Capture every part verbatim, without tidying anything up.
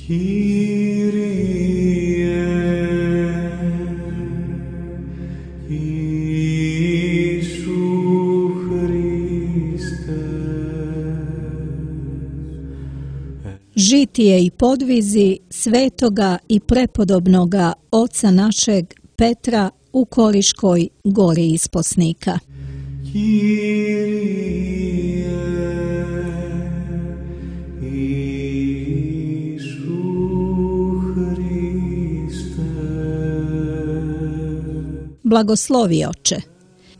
Žitije i podvizi svetoga i prepodobnoga oca našeg Petra u Koriškoj gori isposnika. Blagoslovi oče.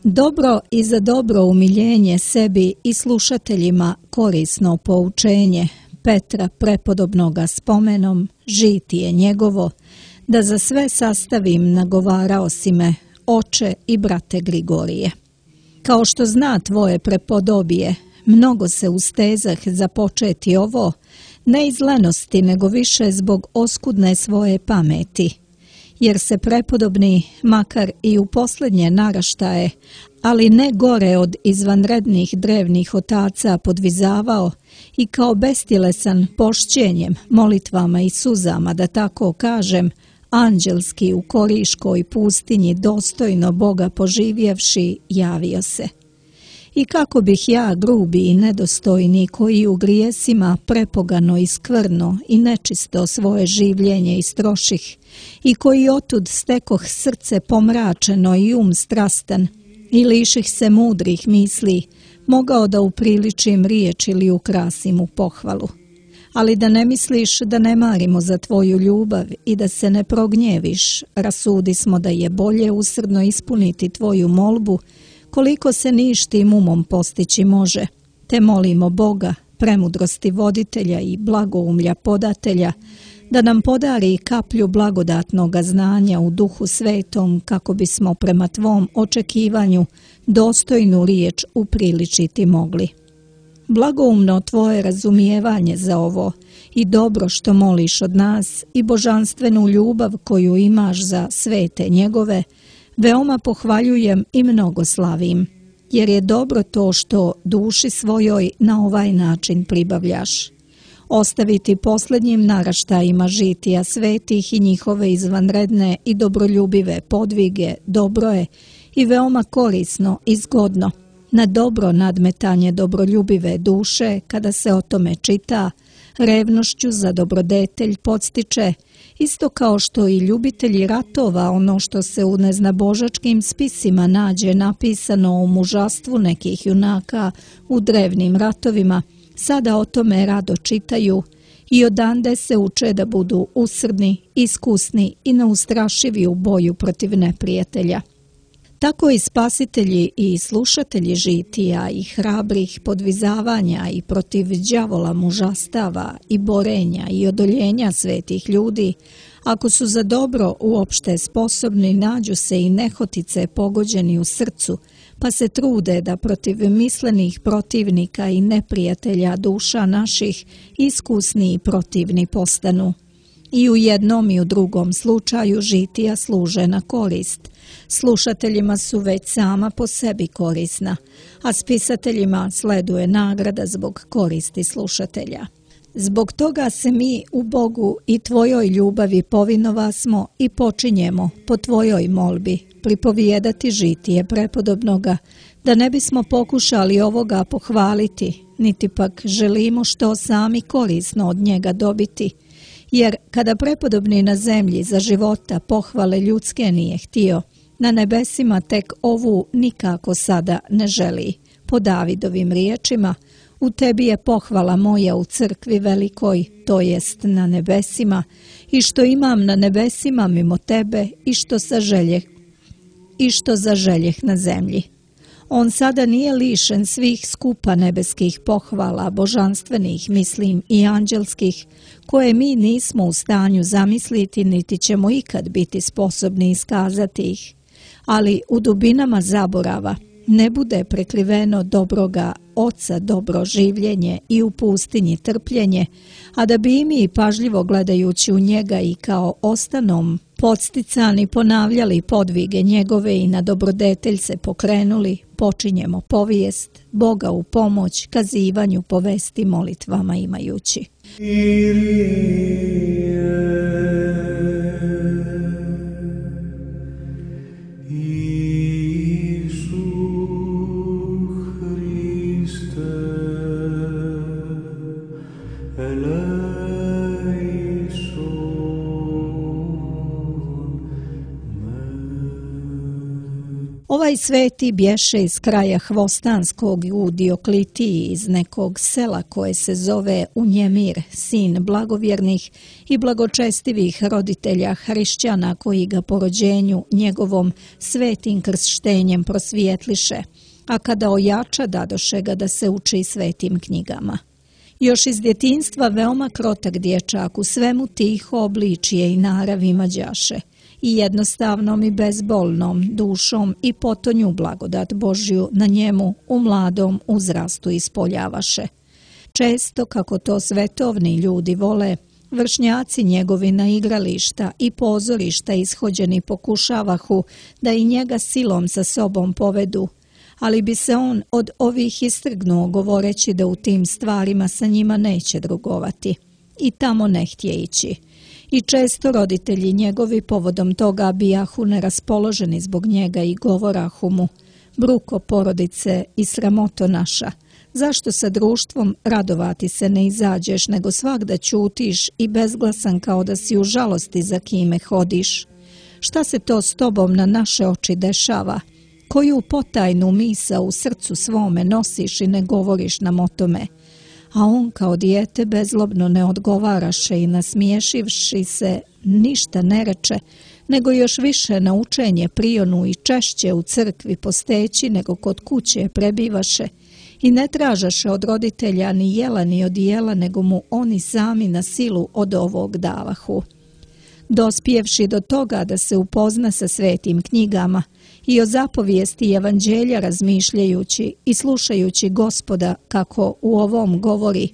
Dobro i za dobro umiljenje sebi i slušateljima korisno poučenje Petra prepodobnoga spomenom, žitije njegovo, da za sve sastavim nagovarao si me, oče i brate Grigorije. Kao što zna tvoje prepodobije, mnogo se ustezah započeti ovo, ne iz lenosti, nego više zbog oskudne svoje pameti, jer se prepodobni, makar i u posljednje naraštaje, ali ne gore od izvanrednih drevnih otaca podvizavao i kao bestjelesan pošćenjem, molitvama i suzama, da tako kažem, anđelski u Koriškoj pustinji dostojno Boga poživjevši, javio se. I kako bih ja, grubi i nedostojni, koji u grijesima prepogano i skvrno i nečisto svoje življenje istroših, i koji otud stekoh srce pomračeno i um strastan, i liših se mudrih misli, mogao da upriličim riječ ili ukrasim u pohvalu. Ali da ne misliš da ne marimo za tvoju ljubav i da se ne prognjeviš, rasudi smo da je bolje usrdno ispuniti tvoju molbu, koliko se ništim umom postići može, te molimo Boga, premudrosti voditelja i blagoumlja podatelja, da nam podari kaplju blagodatnoga znanja u Duhu Svetom, kako bismo prema tvom očekivanju dostojnu riječ upriličiti mogli. Blagoumno tvoje razumijevanje za ovo i dobro što moliš od nas i božanstvenu ljubav koju imaš za svete njegove, veoma pohvaljujem i mnogo slavim, jer je dobro to što duši svojoj na ovaj način pribavljaš. Ostaviti posljednjim naraštajima žitija svetih i njihove izvanredne i dobroljubive podvige dobro je i veoma korisno i zgodno. Na dobro nadmetanje dobroljubive duše, kada se o tome čita, revnošću za dobrodetelj podstiče, isto kao što i ljubitelji ratova ono što se u neznabožačkim spisima nađe napisano o mužastvu nekih junaka u drevnim ratovima, sada o tome rado čitaju i odande se uče da budu usrdni, iskusni i neustrašivi u boju protiv neprijatelja. Tako i spasitelji i slušatelji žitija i hrabrih podvizavanja i protiv đavola mužastava i borenja i odoljenja svetih ljudi, ako su za dobro uopšte sposobni, nađu se i nehotice pogođeni u srcu, pa se trude da protiv mislenih protivnika i neprijatelja duša naših iskusni i protivni postanu. I u jednom i u drugom slučaju žitija služe na korist. Slušateljima su već sama po sebi korisna, a spisateljima sleduje nagrada zbog koristi slušatelja. Zbog toga se mi u Bogu i tvojoj ljubavi povinova smo i počinjemo po tvojoj molbi pripovijedati žitije prepodobnoga, da ne bismo pokušali ovoga pohvaliti, niti pak želimo što sami korisno od njega dobiti, jer kada prepodobni na zemlji za života pohvale ljudske nije htio, na nebesima tek ovu nikako sada ne želi. Po Davidovim riječima, u tebi je pohvala moja u crkvi velikoj, to jest na nebesima, i što imam na nebesima mimo tebe i što saželjeh, i što zaželjeh na zemlji. On sada nije lišen svih skupa nebeskih pohvala, božanstvenih, mislim, i anđelskih, koje mi nismo u stanju zamisliti, niti ćemo ikad biti sposobni iskazati ih. Ali u dubinama zaborava ne bude prekriveno dobroga Oca dobro življenje i u pustinji trpljenje, a da bi i mi pažljivo gledajući u njega i kao ostanom podsticani ponavljali podvige njegove i na dobrodetelj se pokrenuli, počinjemo povijest, Boga u pomoć, kazivanju povesti molitvama imajući. Ovaj sveti bješe iz kraja Hvostanskog u Dioklitiji, iz nekog sela koje se zove Unjemir, sin blagovjernih i blagočestivih roditelja hrišćana koji ga po rođenju njegovom svetim krštenjem prosvijetliše, a kada ojača dadoše ga da se uči svetim knjigama. Još iz djetinjstva veoma krotak dječak, u svemu tiho obličije i narav imađaše, i jednostavnom i bezbolnom dušom i potonju blagodat Božju na njemu u mladom uzrastu ispoljavaše. Često, kako to svetovni ljudi vole, vršnjaci njegovi na igrališta i pozorišta ishođeni pokušavahu da i njega silom sa sobom povedu, ali bi se on od ovih istrgnuo govoreći da u tim stvarima sa njima neće drugovati i tamo ne htje ići. I često roditelji njegovi povodom toga bijahu neraspoloženi zbog njega i govorahu mu: bruko porodice i sramoto naša, zašto sa društvom radovati se ne izađeš, nego svagda ćutiš i bezglasan kao da si u žalosti za kime hodiš? Šta se to s tobom na naše oči dešava? Koju potajnu misao u srcu svome nosiš i ne govoriš nam o tome? A on kao dijete bezlobno ne odgovaraše i nasmiješivši se ništa ne reče, nego još više na učenje prionu i češće u crkvi posteći nego kod kuće prebivaše i ne tražaše od roditelja ni jela ni odijela, nego mu oni sami na silu od ovog davahu. Dospjevši do toga da se upozna sa svetim knjigama i o zapovijesti evanđelja razmišljajući i slušajući Gospoda kako u ovom govori: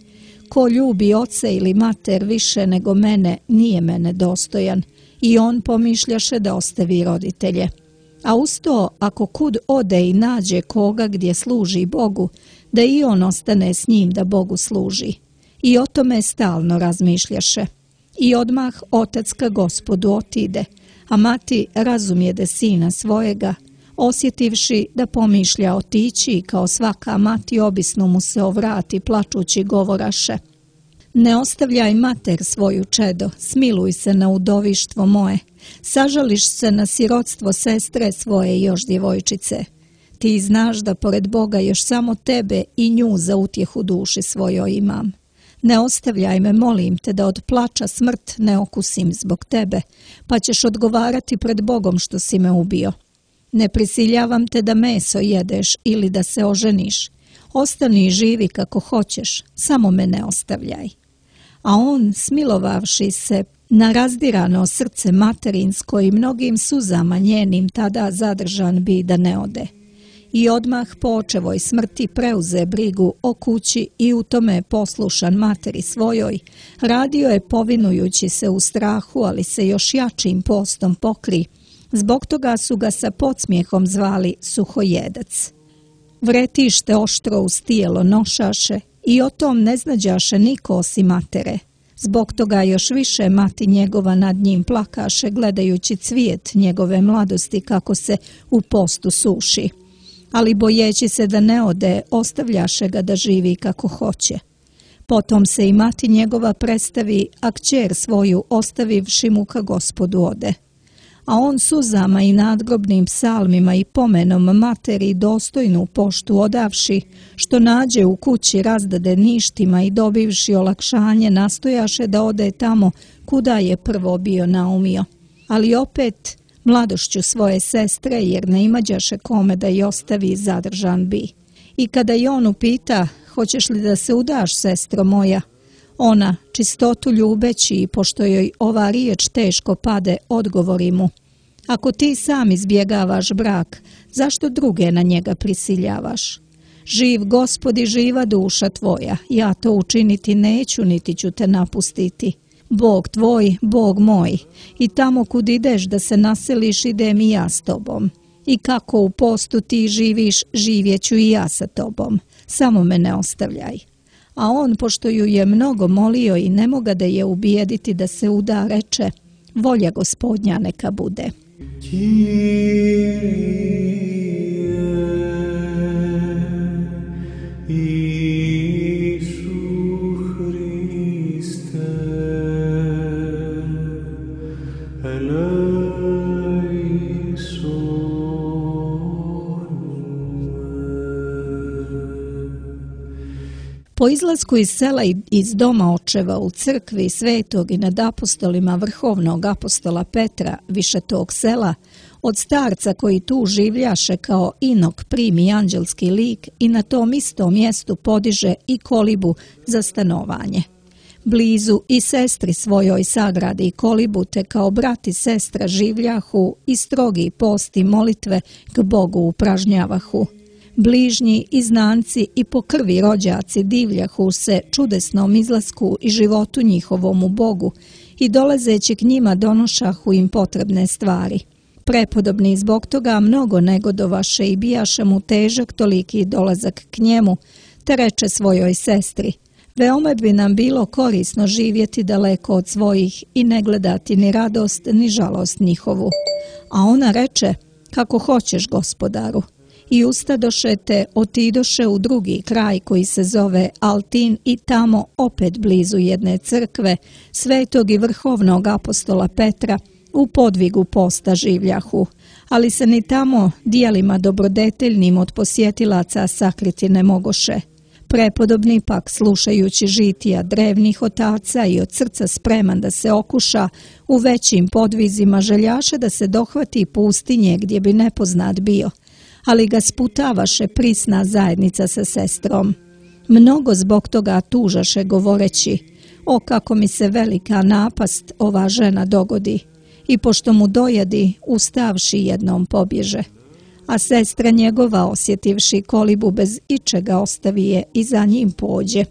ko ljubi oca ili mater više nego mene, nije mene dostojan, i on pomišljaše da ostavi roditelje. A uz to, ako kud ode i nađe koga gdje služi Bogu, da i on ostane s njim da Bogu služi. I o tome stalno razmišljaše. I odmah otac ka Gospodu otide, a mati razumjede sina svojega, osjetivši da pomišlja otići i kao svaka mati obisno mu se ovrati plačući govoraše: ne ostavljaj mater svoju čedo, smiluj se na udovištvo moje, sažališ se na sirotstvo sestre svoje još djevojčice. Ti znaš da pored Boga još samo tebe i nju za utjehu duši svojoj imam. Ne ostavljaj me, molim te, da od plača smrt ne okusim zbog tebe, pa ćeš odgovarati pred Bogom što si me ubio. Ne prisiljavam te da meso jedeš ili da se oženiš. Ostani i živi kako hoćeš, samo me ne ostavljaj. A on, smilovavši se na razdirano srce materinsko i mnogim suzama njenim tada zadržan bi da ne ode. I odmah po očevoj smrti preuze brigu o kući i u tome poslušan materi svojoj, radio je povinujući se u strahu, ali se još jačim postom pokri. Zbog toga su ga sa podsmijehom zvali Suhojedac. Vretište oštro uz tijelo nošaše i o tom ne znađaše niko osim matere. Zbog toga još više mati njegova nad njim plakaše, gledajući cvijet njegove mladosti kako se u postu suši. Ali bojeći se da ne ode, ostavljaše ga da živi kako hoće. Potom se i mati njegova predstavi, a kćer svoju ostavivši mu ka Gospodu ode. A on suzama i nadgrobnim psalmima i pomenom materi dostojnu poštu odavši, što nađe u kući razdade ništima i dobivši olakšanje, nastojaše da ode tamo kuda je prvo bio naumio. Ali opet mladošću svoje sestre, jer ne imađaše kome da je ostavi, zadržan bi. I kada je on upita: hoćeš li da se udaš, sestro moja? Ona, čistotu ljubeći i pošto joj ova riječ teško pade, odgovori mu: ako ti sam izbjegavaš brak, zašto druge na njega prisiljavaš? Živ Gospod i živa duša tvoja, ja to učiniti neću, niti ću te napustiti. Bog tvoj, Bog moj, i tamo kud ideš da se naseliš, idem i ja s tobom. I kako u postu ti živiš, živjeću i ja sa tobom. Samo me ne ostavljaj. A on, pošto ju je mnogo molio i ne moga da je ubijediti da se uda, reče: volja Gospodnja neka bude. Eleison. Po izlasku iz sela i iz doma očeva u crkvi svetog i nad apostolima vrhovnog apostola Petra više tog sela, od starca koji tu življaše kao inok primi anđelski lik i na tom istom mjestu podiže i kolibu za stanovanje. Blizu i sestri svojoj sagradi kolibu, te kao brat i sestra življahu i strogi post i molitve k Bogu upražnjavahu. Bližnji i znanci i po krvi rođaci divljahu se čudesnom izlasku i životu njihovom u Bogu i dolazeći k njima donošahu im potrebne stvari. Prepodobni zbog toga mnogo negodovaše i bijaše mu težak toliki dolazak k njemu, te reče svojoj sestri: veoma bi nam bilo korisno živjeti daleko od svojih i ne gledati ni radost ni žalost njihovu. A ona reče: kako hoćeš, gospodaru. I ustadoše te otidoše u drugi kraj koji se zove Altin i tamo opet blizu jedne crkve, svetog i vrhovnog apostola Petra, u podvigu posta življahu, ali se ni tamo dijelima dobrodeteljnim od posjetilaca sakriti ne mogoše. Prepodobni pak, slušajući žitija drevnih otaca i od srca spreman da se okuša, u većim podvizima željaše da se dohvati pustinje gdje bi nepoznat bio, ali ga sputavaše prisna zajednica sa sestrom. Mnogo zbog toga tužaše govoreći: o, kako mi se velika napast ova žena dogodi. I pošto mu dojedi, ustavši jednom pobježe. A sestra njegova, osjetivši kolibu bez ičega, ostavi je i za njim pođe.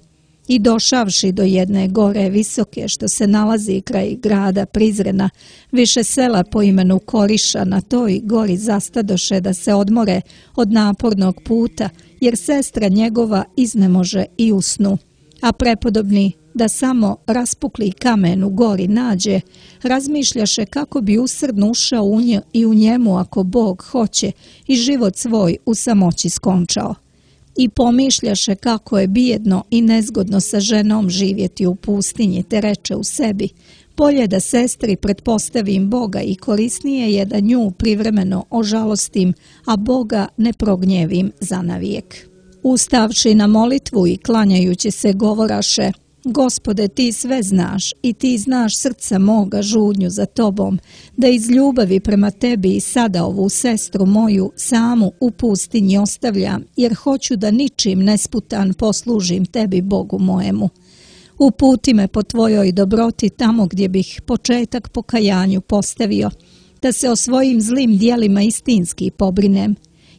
I došavši do jedne gore visoke što se nalazi kraj grada Prizrena, više sela po imenu Koriša, na toj gori zastadoše da se odmore od napornog puta, jer sestra njegova iznemože i usnu. A prepodobni, da samo raspukli kamen u gori nađe, razmišljaše kako bi usrdno ušao u nje i u njemu ako Bog hoće i život svoj u samoći skončao. I pomišljaše kako je bijedno i nezgodno sa ženom živjeti u pustinji, te reče u sebi: bolje da sestri pretpostavim Boga i korisnije je da nju privremeno ožalostim, a Boga ne prognjevim zanavijek. Ustavši na molitvu i klanjajući se govoraše: Gospode, ti sve znaš i ti znaš srca moga žudnju za tobom, da iz ljubavi prema tebi i sada ovu sestru moju samu u pustinji ostavljam, jer hoću da ničim nesputan poslužim tebi, Bogu mojemu. Uputi me po tvojoj dobroti tamo gdje bih početak pokajanju postavio, da se o svojim zlim dijelima istinski pobrinem.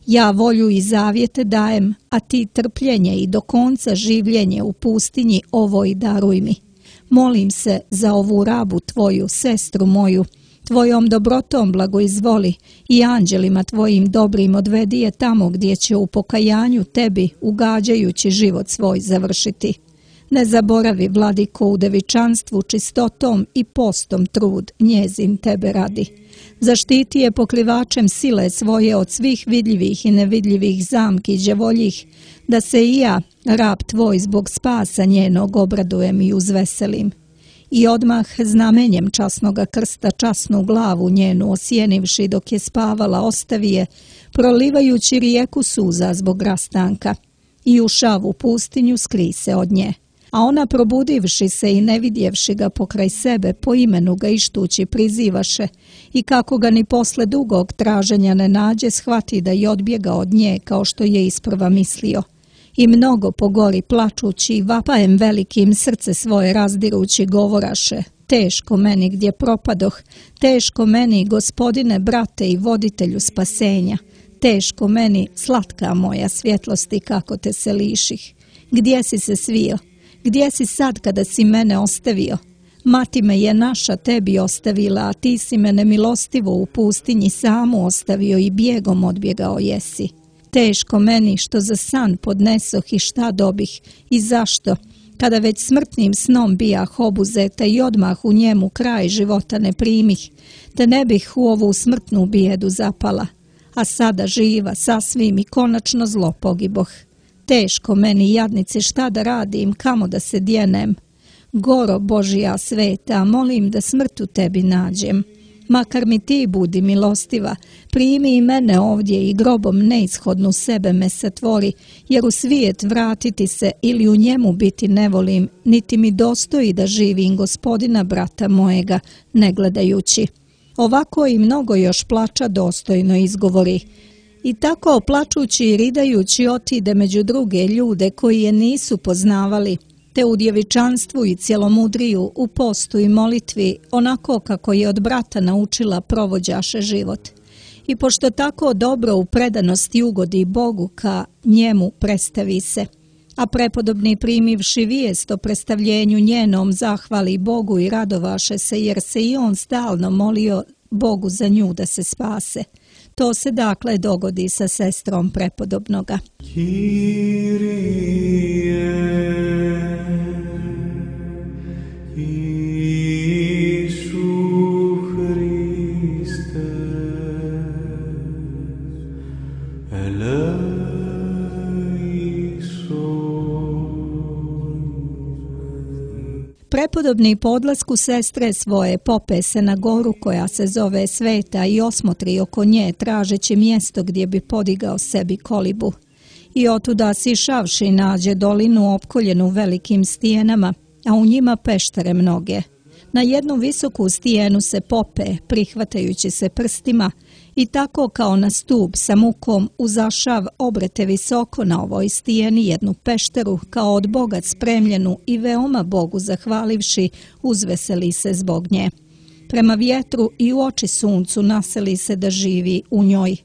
Ja volju i zavjete dajem, a ti trpljenje i do konca življenje u pustinji ovoj daruj mi. Molim se za ovu rabu tvoju, sestru moju, tvojom dobrotom blagoizvoli i anđelima tvojim dobrim odvedi je tamo gdje će u pokajanju tebi, ugađajući život svoj, završiti. Ne zaboravi, vladiko, u devičanstvu čistotom i postom trud njezin tebe radi. Zaštiti je pokrivačem sile svoje od svih vidljivih i nevidljivih zamki đavoljih, da se i ja, rab tvoj, zbog spasa njenog obradujem i uzveselim. I odmah znamenjem časnoga krsta časnu glavu njenu osjenivši dok je spavala ostavi je, prolivajući rijeku suza zbog rastanka. I ušav u pustinju skri se od nje. A ona, probudivši se i ne vidjevši ga pokraj sebe, po imenu ga ištući prizivaše i kako ga ni posle dugog traženja ne nađe, shvati da je odbjega od nje kao što je isprva mislio. I mnogo po gori plačući i vapajem velikim srce svoje razdirući govoraše: teško meni gdje propadoh, teško meni, gospodine, brate i voditelju spasenja, teško meni, slatka moja svjetlosti, kako te se liših. Gdje si se svio? Gdje si sad kada si mene ostavio? Mati me je naša tebi ostavila, a ti si me nemilostivo u pustinji samu ostavio i bijegom odbjegao jesi. Teško meni što za san podnesoh i šta dobih i zašto, kada već smrtnim snom bijah obuzeta i odmah u njemu kraj života ne primih, te ne bih u ovu smrtnu bijedu zapala, a sada živa sasvim i konačno zlo pogiboh. Teško meni, jadnici, šta da radim, kamo da se djenem. Goro Božija sveta, molim da smrt u tebi nađem. Makar mi ti budi milostiva, primi i mene ovdje i grobom neishodnu sebe me satvori, jer u svijet vratiti se ili u njemu biti ne volim, niti mi dostoji da živim Gospodina brata mojega, ne gledajući. Ovako i mnogo još plača dostojno izgovori. I tako plačući i ridajući otide među druge ljude koji je nisu poznavali, te u djevičanstvu i cjelomudriju, u postu i molitvi, onako kako je od brata naučila provođaše život. I pošto tako dobro u predanosti ugodi Bogu, ka njemu predstavi se. A prepodobni primivši vijest o predstavljenju njenom zahvali Bogu i radovaše se, jer se i on stalno molio Bogu za nju da se spase. To se dakle dogodi sa sestrom prepodobnoga. Prepodobni po odlasku sestre svoje pope se na goru koja se zove Sveta i osmotri oko nje tražeći mjesto gdje bi podigao sebi kolibu. I otuda sišavši nađe dolinu opkoljenu velikim stijenama, a u njima peštere mnoge. Na jednu visoku stijenu se pope, prihvatajući se prstima, i tako kao na stup sa mukom uzašav obrete visoko na ovoj stijeni jednu pešteru kao od Boga spremljenu i veoma Bogu zahvalivši uzveseli se zbog nje. Prema vjetru i u oči suncu naseli se da živi u njoj.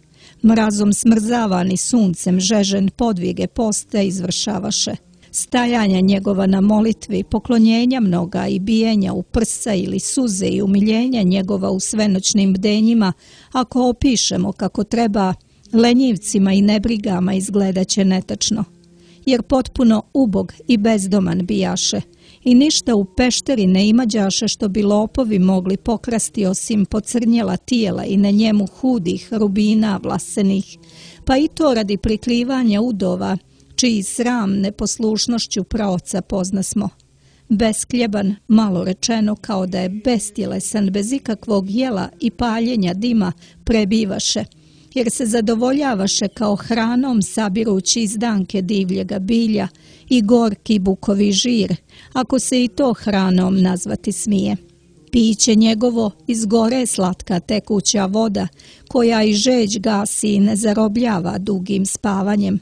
Mrazom smrzavani suncem žežen podvige poste izvršavaše. Stajanja njegova na molitvi, poklonjenja mnoga i bijenja u prsa ili suze i umiljenja njegova u svenoćnim bdenjima, ako opišemo kako treba, lenjivcima i nebrigama izgledaće netačno. Jer potpuno ubog i bezdoman bijaše i ništa u pešteri ne imađaše što bi lopovi mogli pokrasti osim pocrnjela tijela i na njemu hudih rubina vlasenih, pa i to radi prikrivanja udova, čiji sram neposlušnošću praoca poznasmo. Beskljeban, malo rečeno kao da je bestjelesan, bez ikakvog jela i paljenja dima prebivaše, jer se zadovoljavaše kao hranom sabirući izdanke divljega bilja i gorki bukovi žir, ako se i to hranom nazvati smije. Piće njegovo iz gore slatka tekuća voda, koja i žeđ gasi i ne zarobljava dugim spavanjem.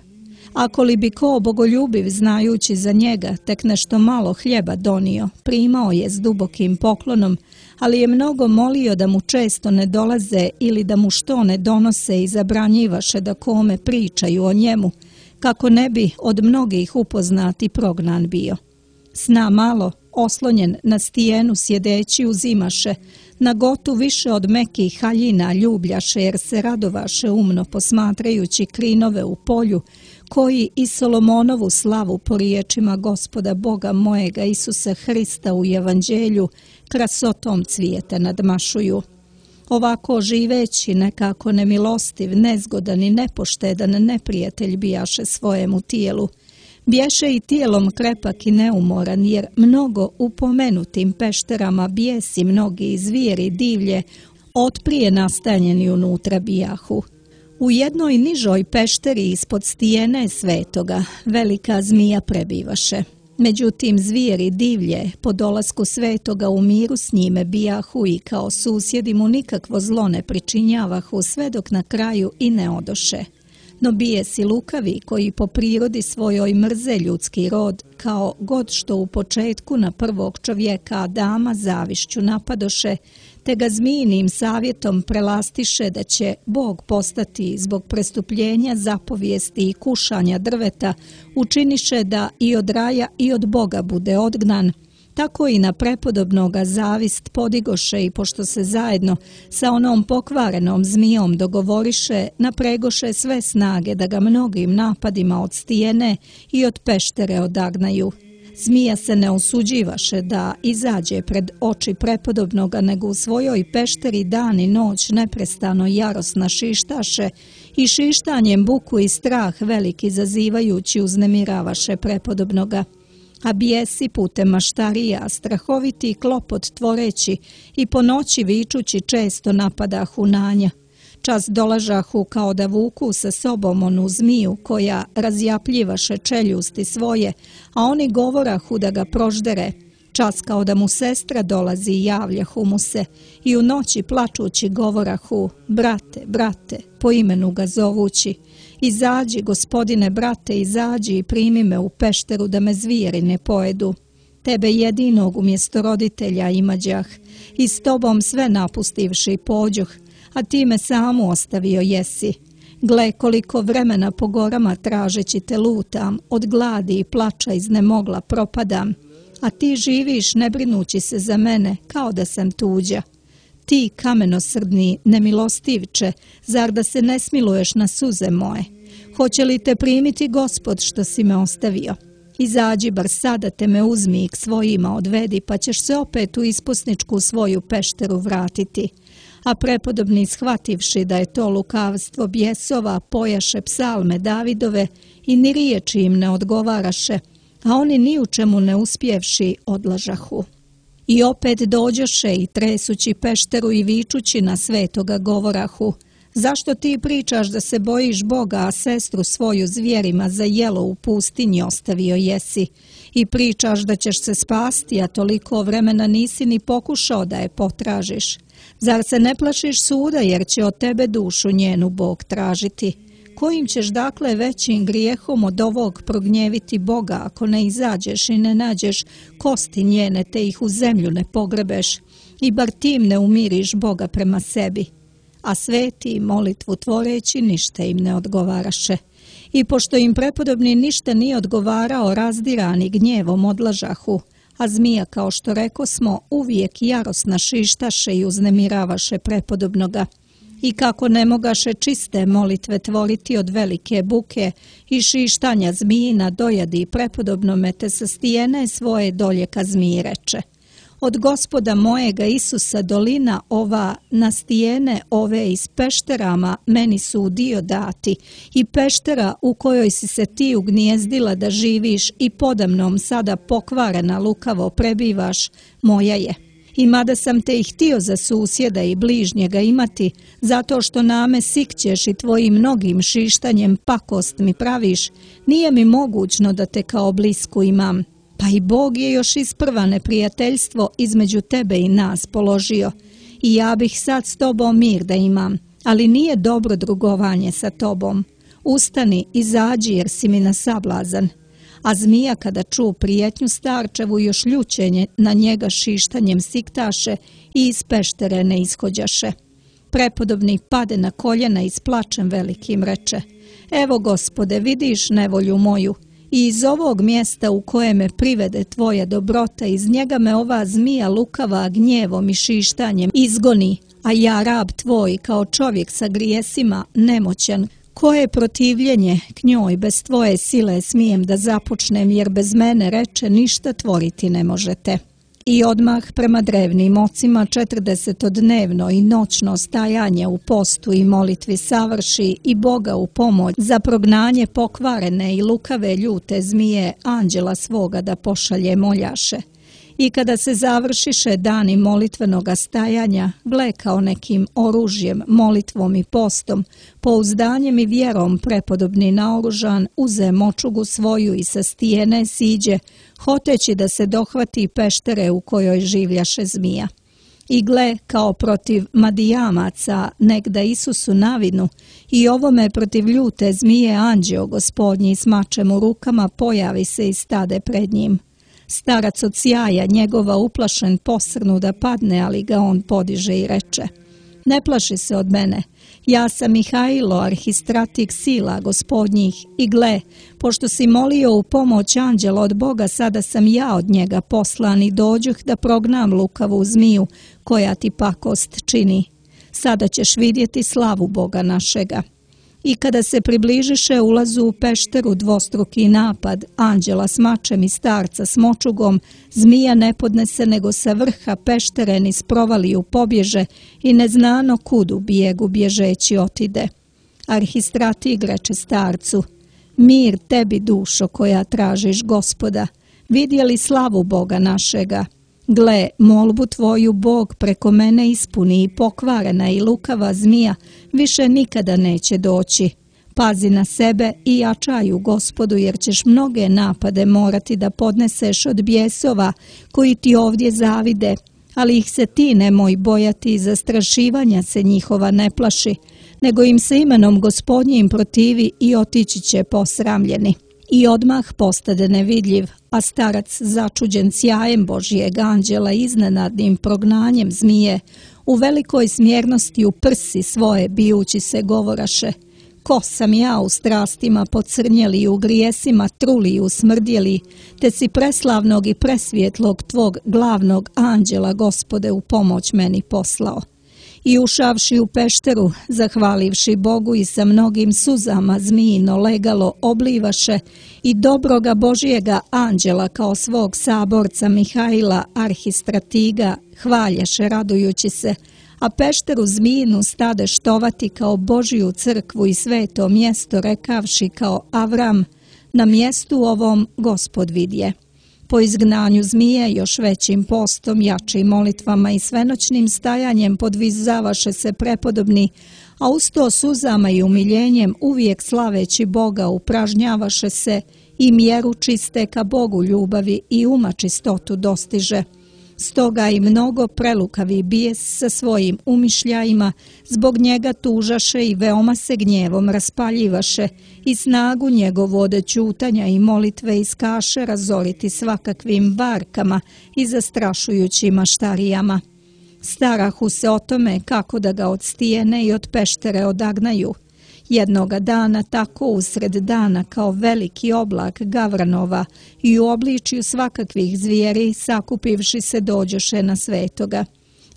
Ako li bi ko bogoljubiv znajući za njega tek nešto malo hljeba donio, primao je s dubokim poklonom, ali je mnogo molio da mu često ne dolaze ili da mu što ne donose i zabranjivaše da kome pričaju o njemu, kako ne bi od mnogih upoznati prognan bio. Sna malo, oslonjen na stijenu sjedeći uzimaše, na gotu više od mekih haljina ljubljaše jer se radovaše umno posmatrajući krinove u polju, koji i Solomonovu slavu po riječima Gospoda Boga mojega Isusa Hrista u evanđelju krasotom cvijeta nadmašuju. Ovako živeći nekako nemilostiv, nezgodan i nepoštedan neprijatelj bijaše svojemu tijelu. Bješe i tijelom krepak i neumoran, jer mnogo u pomenutim pešterama bijesi mnogi zvijeri divlje otprije nastanjeni unutra bijahu. U jednoj nižoj pešteri ispod stijene svetoga velika zmija prebivaše. Međutim, zvijeri divlje po dolasku svetoga u miru s njime bijahu i kao susjedi mu nikakvo zlo ne pričinjavahu sve dok na kraju i ne odoše. No bijesi lukavi koji po prirodi svojoj mrze ljudski rod, kao god što u početku na prvog čovjeka Adama zavišću napadoše, te ga zmijinim savjetom prelastiše da će Bog postati zbog prestupljenja zapovijesti i kušanja drveta, učiniše da i od raja i od Boga bude odgnan, tako i na prepodobnoga zavist podigoše i pošto se zajedno sa onom pokvarenom zmijom dogovoriše, napregoše sve snage da ga mnogim napadima od stijene i od peštere odagnaju. Zmija se ne usuđivaše da izađe pred oči prepodobnoga, nego u svojoj pešteri dan i noć neprestano jarosna šištaše i šištanjem buku i strah veliki zazivajući uznemiravaše prepodobnoga. A bijesi putem maštarija, strahoviti klopot tvoreći i po noći vičući često napadahu na nja. Čas dolažahu kao da vuku sa sobom onu zmiju koja razjapljivaše čeljusti svoje, a oni govorahu da ga proždere. Čas kao da mu sestra dolazi i javljahu mu se i u noći plačući govorahu: brate, brate, po imenu ga zovući. Izađi, gospodine brate, izađi i primi me u pešteru da me zvijeri ne pojedu. Tebe jedinog umjesto roditelja imađah i s tobom sve napustivši pođoh, a ti me samu ostavio jesi. Gle koliko vremena po gorama tražeći te lutam, od gladi i plača iznemogla propadam, a ti živiš ne brinući se za mene kao da sam tuđa. Ti kamenosrdni nemilostivče, zar da se ne smiluješ na suze moje? Hoće li te primiti Gospod što si me ostavio? Izađi bar sada te me uzmi i k svojima odvedi, pa ćeš se opet u ispusničku svoju pešteru vratiti. A prepodobni shvativši da je to lukavstvo bjesova, pojaše psalme Davidove i ni riječi im ne odgovaraše, a oni ni u čemu ne uspjevši odlažahu. I opet dođoše i tresući pešteru i vičući na svetoga govorahu: zašto ti pričaš da se bojiš Boga, a sestru svoju zvijerima za jelo u pustinji ostavio jesi? I pričaš da ćeš se spasti, a toliko vremena nisi ni pokušao da je potražiš. Zar se ne plašiš suda, jer će od tebe dušu njenu Bog tražiti? Kojim ćeš dakle većim grijehom od ovog prognjeviti Boga, ako ne izađeš i ne nađeš kosti njene, te ih u zemlju ne pogrebeš, i bar tim ne umiriš Boga prema sebi? A sveti molitvu tvoreći ništa im ne odgovaraše. I pošto im prepodobni ništa nije odgovarao, razdirani gnjevom odlažahu, a zmija, kao što rekosmo, uvijek jarosna šištaše i uznemiravaše prepodobnoga. I kako ne mogaše čiste molitve tvoriti od velike buke i šištanja zmijina dojadi prepodobnome, te sa stijene svoje dolje ka zmiji reče: od Gospoda mojega Isusa dolina ova na stijene ove iz pešterama meni su u dio dati, i peštera u kojoj si se ti ugnjezdila da živiš i podamnom sada pokvarena lukavo prebivaš, moja je. I mada sam te i htio za susjeda i bližnjega imati, zato što name sikćeš i tvojim mnogim šištanjem pakost mi praviš, nije mi mogućno da te kao blisku imam. Pa i Bog je još isprva neprijateljstvo između tebe i nas položio, i ja bih sad s tobom mir da imam, ali nije dobro drugovanje sa tobom. Ustani, izađi jer si mi na sablazan. A zmija kada ču prijetnju starčevu još ljućenje na njega šištanjem siktaše i iz peštere ne ishođaše. Prepodobni pade na koljena i s plačem velikim reče: evo Gospode, vidiš nevolju moju, i iz ovog mjesta u koje me privede tvoja dobrota, iz njega me ova zmija lukava gnjevom i šištanjem izgoni, a ja rab tvoj kao čovjek sa grijesima nemoćan, koje protivljenje k njoj bez tvoje sile smijem da započnem, jer bez mene, reče, ništa tvoriti ne možete. I odmah prema drevnim ocima četrdesetodnevno i noćno stajanje u postu i molitvi savrši i Boga u pomoć za prognanje pokvarene i lukave ljute zmije anđela svoga da pošalje moljaše. I kada se završiše dani molitvenoga stajanja, gle kao nekim oružjem, molitvom i postom, pouzdanjem i vjerom prepodobni naoružan, uze močugu svoju i sa stijene siđe, hoteći da se dohvati peštere u kojoj življaše zmija. I gle, kao protiv Madijamaca, negda Isusu navinu, i ovome protiv ljute zmije anđeo gospodnji s mačem u rukama pojavi se i stade pred njim. Starac od sjaja njegova uplašen posrnu da padne, ali ga on podiže i reče: ne plaši se od mene, ja sam Mihailo, arhistratik sila gospodnjih, i gle, pošto si molio u pomoć anđela od Boga, sada sam ja od njega poslan i dođuh da prognam lukavu zmiju koja ti pakost čini. Sada ćeš vidjeti slavu Boga našega. I kada se približiše ulazu u pešteru dvostruki napad anđela s mačem i starca s močugom, zmija ne podnese nego sa vrha peštere niz provaliju pobježe i neznano kudu bijegu bježeći otide. Arhistratig reče starcu: mir tebi, dušo koja tražiš Gospoda, Vidjeli slavu Boga našega? Gle, molbu tvoju Bog preko mene ispuni i pokvarena i lukava zmija više nikada neće doći. Pazi na sebe i jačaj u Gospodu, jer ćeš mnoge napade morati da podneseš od bijesova koji ti ovdje zavide, ali ih se ti nemoj bojati i zastrašivanja se njihova ne plaši, nego im se imenom Gospodnjim protivi i otići će posramljeni. I odmah postade nevidljiv, a starac začuđen sjajem Božijeg anđela iznenadnim prognanjem zmije, u velikoj smjernosti u prsi svoje bijući se govoraše: ko sam ja u strastima pocrnjeli i u grijesima truli i usmrdjeli, te si preslavnog i presvjetlog tvog glavnog anđela, Gospode, u pomoć meni poslao. I ušavši u pešteru, zahvalivši Bogu i sa mnogim suzama zmijino legalo oblivaše i dobroga Božijega anđela kao svog saborca Mihaila arhistratiga hvaljaše radujući se, a pešteru zmijinu stade štovati kao Božiju crkvu i sveto mjesto, rekavši kao Avram: na mjestu ovom Gospod vidje. Po izgnanju zmije još većim postom, jačim molitvama i svenoćnim stajanjem podvizavaše se prepodobni, a usto suzama i umiljenjem uvijek slaveći Boga upražnjavaše se i mjeru čiste ka Bogu ljubavi i uma čistotu dostiže. Stoga i mnogo prelukavi bijes sa svojim umišljajima zbog njega tužaše i veoma se gnjevom raspaljivaše i snagu njegovode ćutanja i molitve iskaše razoriti svakakvim varkama i zastrašujućim maštarijama. Starahu se o tome kako da ga od stijene i od peštere odagnaju. Jednoga dana tako usred dana kao veliki oblak gavranova i u obličju svakakvih zvijeri sakupivši se dođoše na svetoga.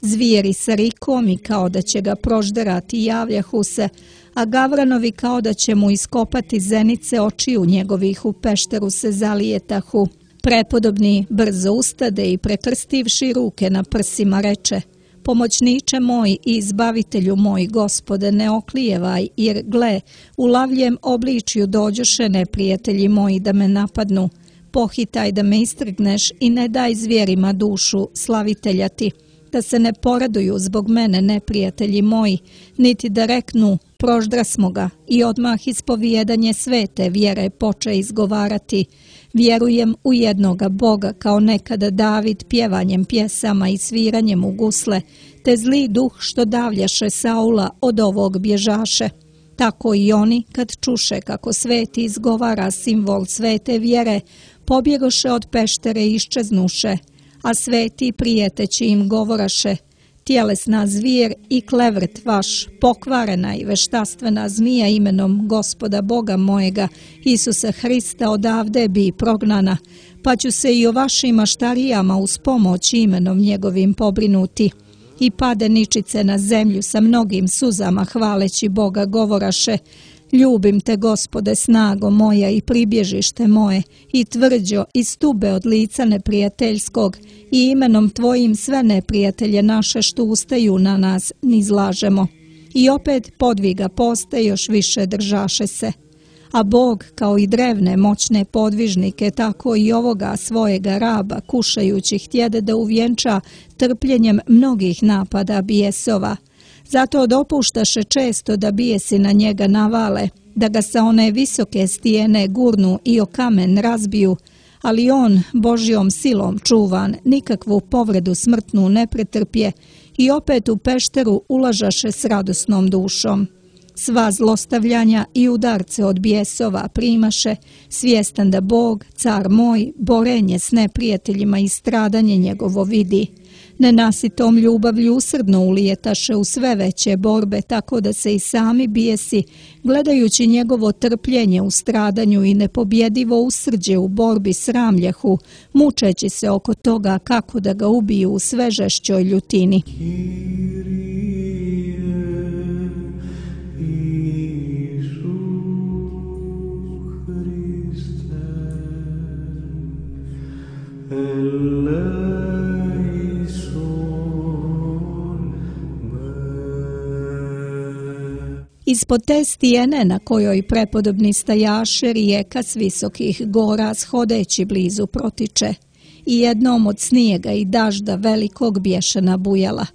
Zvijeri sa rikom i kao da će ga prožderati javljahu se, a gavranovi kao da će mu iskopati zenice očiju njegovih u pešteru se zalijetahu. Prepodobni brzo ustade i prekrstivši ruke na prsima reče: pomoćniče moj i izbavitelju moj, Gospode, ne oklijevaj, jer gle, u lavljem obličju dođoše neprijatelji moji da me napadnu. Pohitaj da me istrgneš i ne daj zvijerima dušu slavitelja ti, da se ne poraduju zbog mene neprijatelji moji, niti da reknu proždrasmo ga, i odmah ispovijedanje svete vjere poče izgovarati: vjerujem u jednoga Boga, kao nekada David pjevanjem pjesama i sviranjem u gusle, te zli duh što davljaše Saula od ovog bježaše. Tako i oni, kad čuše kako sveti izgovara simbol svete vjere, pobjegoše od peštere i iščeznuše, a sveti prijeteći im govoraše: tjelesna zvijer i klevrt vaš, pokvarena i veštastvena zmija imenom Gospoda Boga mojega, Isusa Hrista, odavde bi prognana, pa ću se i o vašim maštarijama uz pomoć imenom njegovim pobrinuti. I pade ničice na zemlju sa mnogim suzama hvaleći Boga govoraše: ljubim te, Gospode, snago moja i pribježište moje, i tvrđo i stube od lica neprijateljskog, i imenom tvojim sve neprijatelje naše što ustaju na nas nizlažemo. I opet podviga poste još više držaše se. A Bog, kao i drevne moćne podvižnike, tako i ovoga svojega raba kušajući htjede da uvjenča trpljenjem mnogih napada bijesova. Zato dopuštaše često da bijesi na njega navale, da ga sa one visoke stijene gurnu i o kamen razbiju, ali on, Božjom silom čuvan, nikakvu povredu smrtnu ne pretrpje i opet u pešteru ulažaše s radosnom dušom. Sva zlostavljanja i udarce od bijesova primaše, svjestan da Bog, car moj, borenje s neprijateljima i stradanje njegovo vidi. Nenasitom ljubavlju usrdno ulijetaše u sve veće borbe, tako da se i sami bijesi, gledajući njegovo trpljenje u stradanju i nepobjedivo usrđe u borbi sramljahu, mučeći se oko toga kako da ga ubiju u sve žešćoj ljutini. Ispod te stijene na kojoj prepodobni stajaše rijeka s visokih gora shodeći blizu protiče i jednom od snijega i dažda velikog bješe nabujala.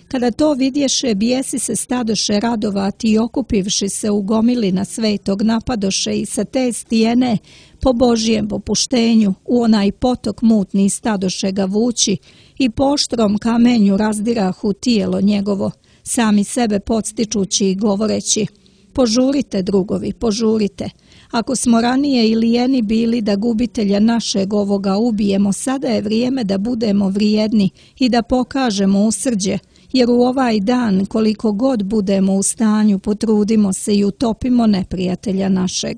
Kada to vidješe, bijesi se stadoše radovati i okupivši se u gomili na svetog napadoše i sa te stijene po Božijem popuštenju u onaj potok mutni stadoše ga vući i po oštrom kamenju razdirahu tijelo njegovo, sami sebe podstičući i govoreći: požurite, drugovi, požurite. Ako smo ranije i lijeni bili da gubitelja našeg ovoga ubijemo, sada je vrijeme da budemo vrijedni i da pokažemo usrđe, jer u ovaj dan koliko god budemo u stanju potrudimo se i utopimo neprijatelja našeg.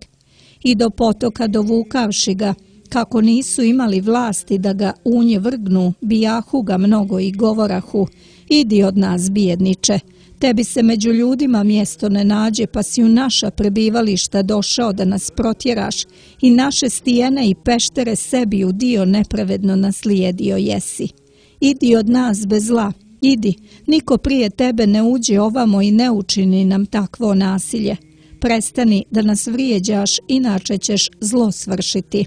I do potoka dovukavši ga, kako nisu imali vlasti da ga u nje vrgnu, bijahu ga mnogo i govorahu: idi od nas, bijedniče, tebi se među ljudima mjesto ne nađe, pa si u naša prebivališta došao da nas protjeraš i naše stijene i peštere sebi u dio nepravedno naslijedio jesi. Idi od nas bez zla, idi, niko prije tebe ne uđe ovamo i ne učini nam takvo nasilje. Prestani da nas vrijeđaš, inače ćeš zlo svršiti.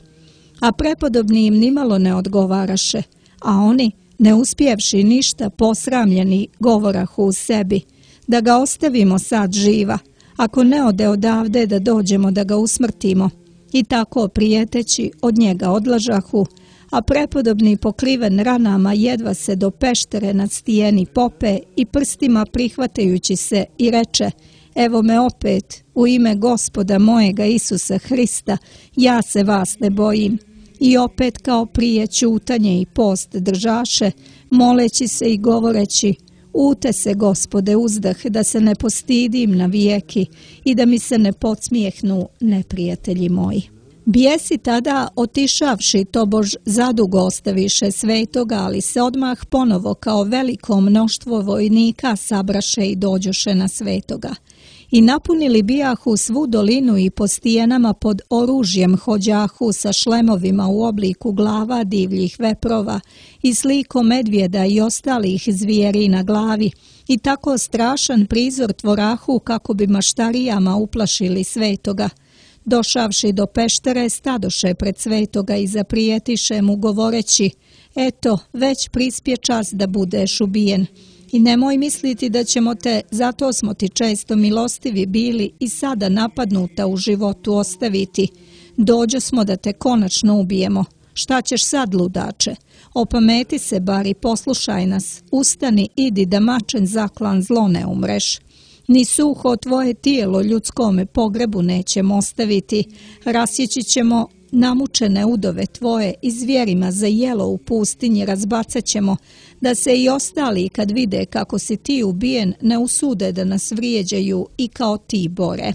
A prepodobni im nimalo ne odgovaraše, a oni, ne uspjevši ništa, posramljeni, govorahu u sebi: da ga ostavimo sad živa, ako ne ode odavde da dođemo da ga usmrtimo. I tako prijeteći od njega odlažahu, a prepodobni pokriven ranama jedva se do peštere nad stijeni pope i prstima prihvatajući se i reče: evo me opet, u ime Gospoda mojega Isusa Hrista, ja se vas ne bojim. I opet kao prije ćutanje i post držaše, moleći se i govoreći: ute se, Gospode, uzdah, da se ne postidim na vijeki i da mi se ne podsmijehnu neprijatelji moji. Bijesi tada, otišavši tobož zadugo ostaviše svetoga, ali se odmah ponovo kao veliko mnoštvo vojnika sabraše i dođoše na svetoga. I napunili bijahu svu dolinu i po stijenama pod oružjem hođahu sa šlemovima u obliku glava divljih veprova i slikom medvjeda i ostalih zvijeri na glavi i tako strašan prizor tvorahu kako bi maštarijama uplašili svetoga. Došavši do peštere, stadoše pred svetoga i zaprijetiše mu govoreći: eto, već prispje čas da budeš ubijen. I nemoj misliti da ćemo te, zato smo ti često milostivi bili, i sada napadnuta u životu ostaviti. Dođo smo da te konačno ubijemo. Šta ćeš sad, ludače? Opameti se bar i poslušaj nas. Ustani, idi da mačen zaklan zlo ne umreš. Ni suho tvoje tijelo ljudskome pogrebu nećemo ostaviti. Rasjeći ćemo namučene udove tvoje i zvjerima za jelo u pustinji razbacat ćemo, da se i ostali kad vide kako si ti ubijen ne usude da nas vrijeđaju i kao ti bore.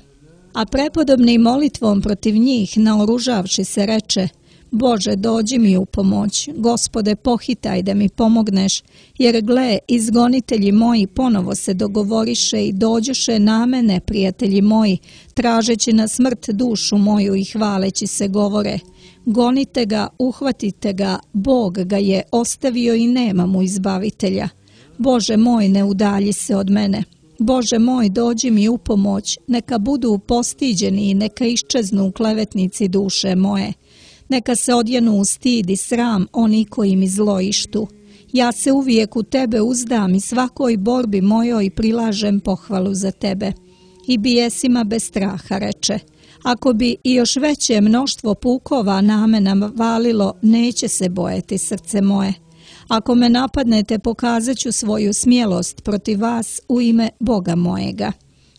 A prepodobni molitvom protiv njih naoružavši se reče: Bože, dođi mi u pomoć, Gospode, pohitaj da mi pomogneš, jer gle, izgonitelji moji ponovo se dogovoriše i dođoše na mene, prijatelji moji, tražeći na smrt dušu moju i hvaleći se govore: gonite ga, uhvatite ga, Bog ga je ostavio i nema mu izbavitelja. Bože moj, ne udalji se od mene. Bože moj, dođi mi u pomoć, neka budu postiđeni i neka iščeznu klevetnici duše moje. Neka se odjenu u stid i sram oni koji mi zlo ištu. Ja se uvijek u tebe uzdam i svakoj borbi mojoj prilažem pohvalu za tebe. I bijesima bez straha reče: ako bi i još veće mnoštvo pukova na mene valilo, neće se bojati srce moje. Ako me napadnete, pokazat ću svoju smjelost protiv vas u ime Boga mojega.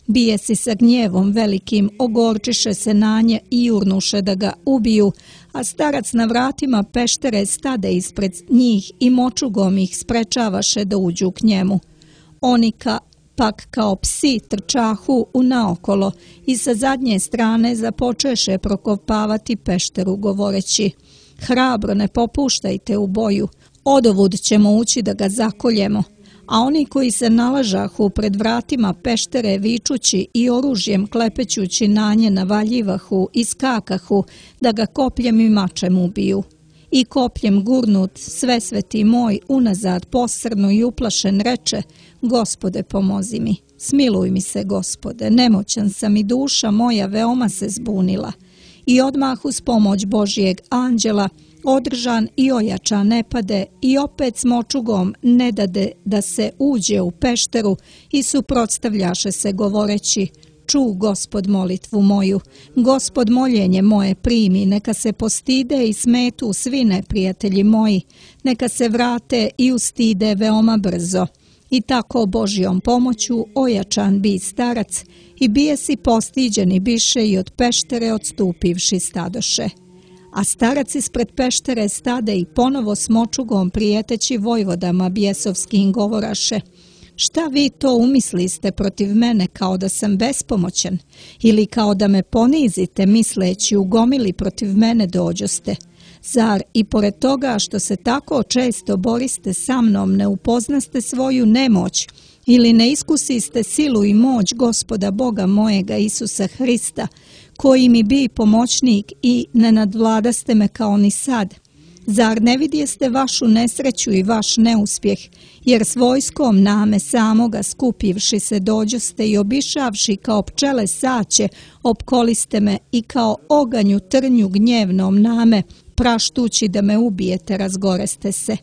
Bijesi sa gnjevom velikim ogorčiše se na nje i jurnuše da ga ubiju, a starac na vratima peštere stade ispred njih i močugom ih sprečavaše da uđu k njemu. Oni ka, pak kao psi trčahu u naokolo i sa zadnje strane započeše prokopavati pešteru govoreći: hrabro, ne popuštajte u boju, odovud ćemo ući da ga zakoljemo. A oni koji se nalažahu pred vratima peštere vičući i oružjem klepećući na nje navaljivahu i skakahu da ga kopljem i mačem ubiju. I kopljem gurnut, svesveti moj, unazad posrnu i uplašen reče: Gospode, pomozi mi. Smiluj mi se, Gospode, nemoćan sam i duša moja veoma se zbunila. I odmah uz pomoć Božijeg anđela održan i ojačan ne pade i opet smočugom ne dade da se uđe u pešteru i suprotstavljaše se govoreći: Ču, Gospod, molitvu moju, Gospod, moljenje moje primi, neka se postide i smetu svi neprijatelji moji, neka se vrate i ustide veoma brzo. I tako Božjom pomoću ojačan bi starac i bije si postiđeni biše i od peštere odstupivši stadoše. A starac ispred peštere stade i ponovo smočugom prijeteći vojvodama bjesovskim govoraše: Šta vi to umisliste protiv mene kao da sam bespomoćan ili kao da me ponizite misleći u gomili protiv mene dođoste? Zar i pored toga što se tako često boriste sa mnom ne upoznaste svoju nemoć ili ne iskusiste silu i moć Gospoda Boga mojega Isusa Hrista, koji mi bi pomoćnik i ne nadvladaste me kao ni sad? Zar ne vidjeste vašu nesreću i vaš neuspjeh, jer s vojskom name samoga skupivši se dođoste i obišavši kao pčele saće, opkoliste me i kao oganju trnju gnjevnom name, praštući da me ubijete, razgoreste se.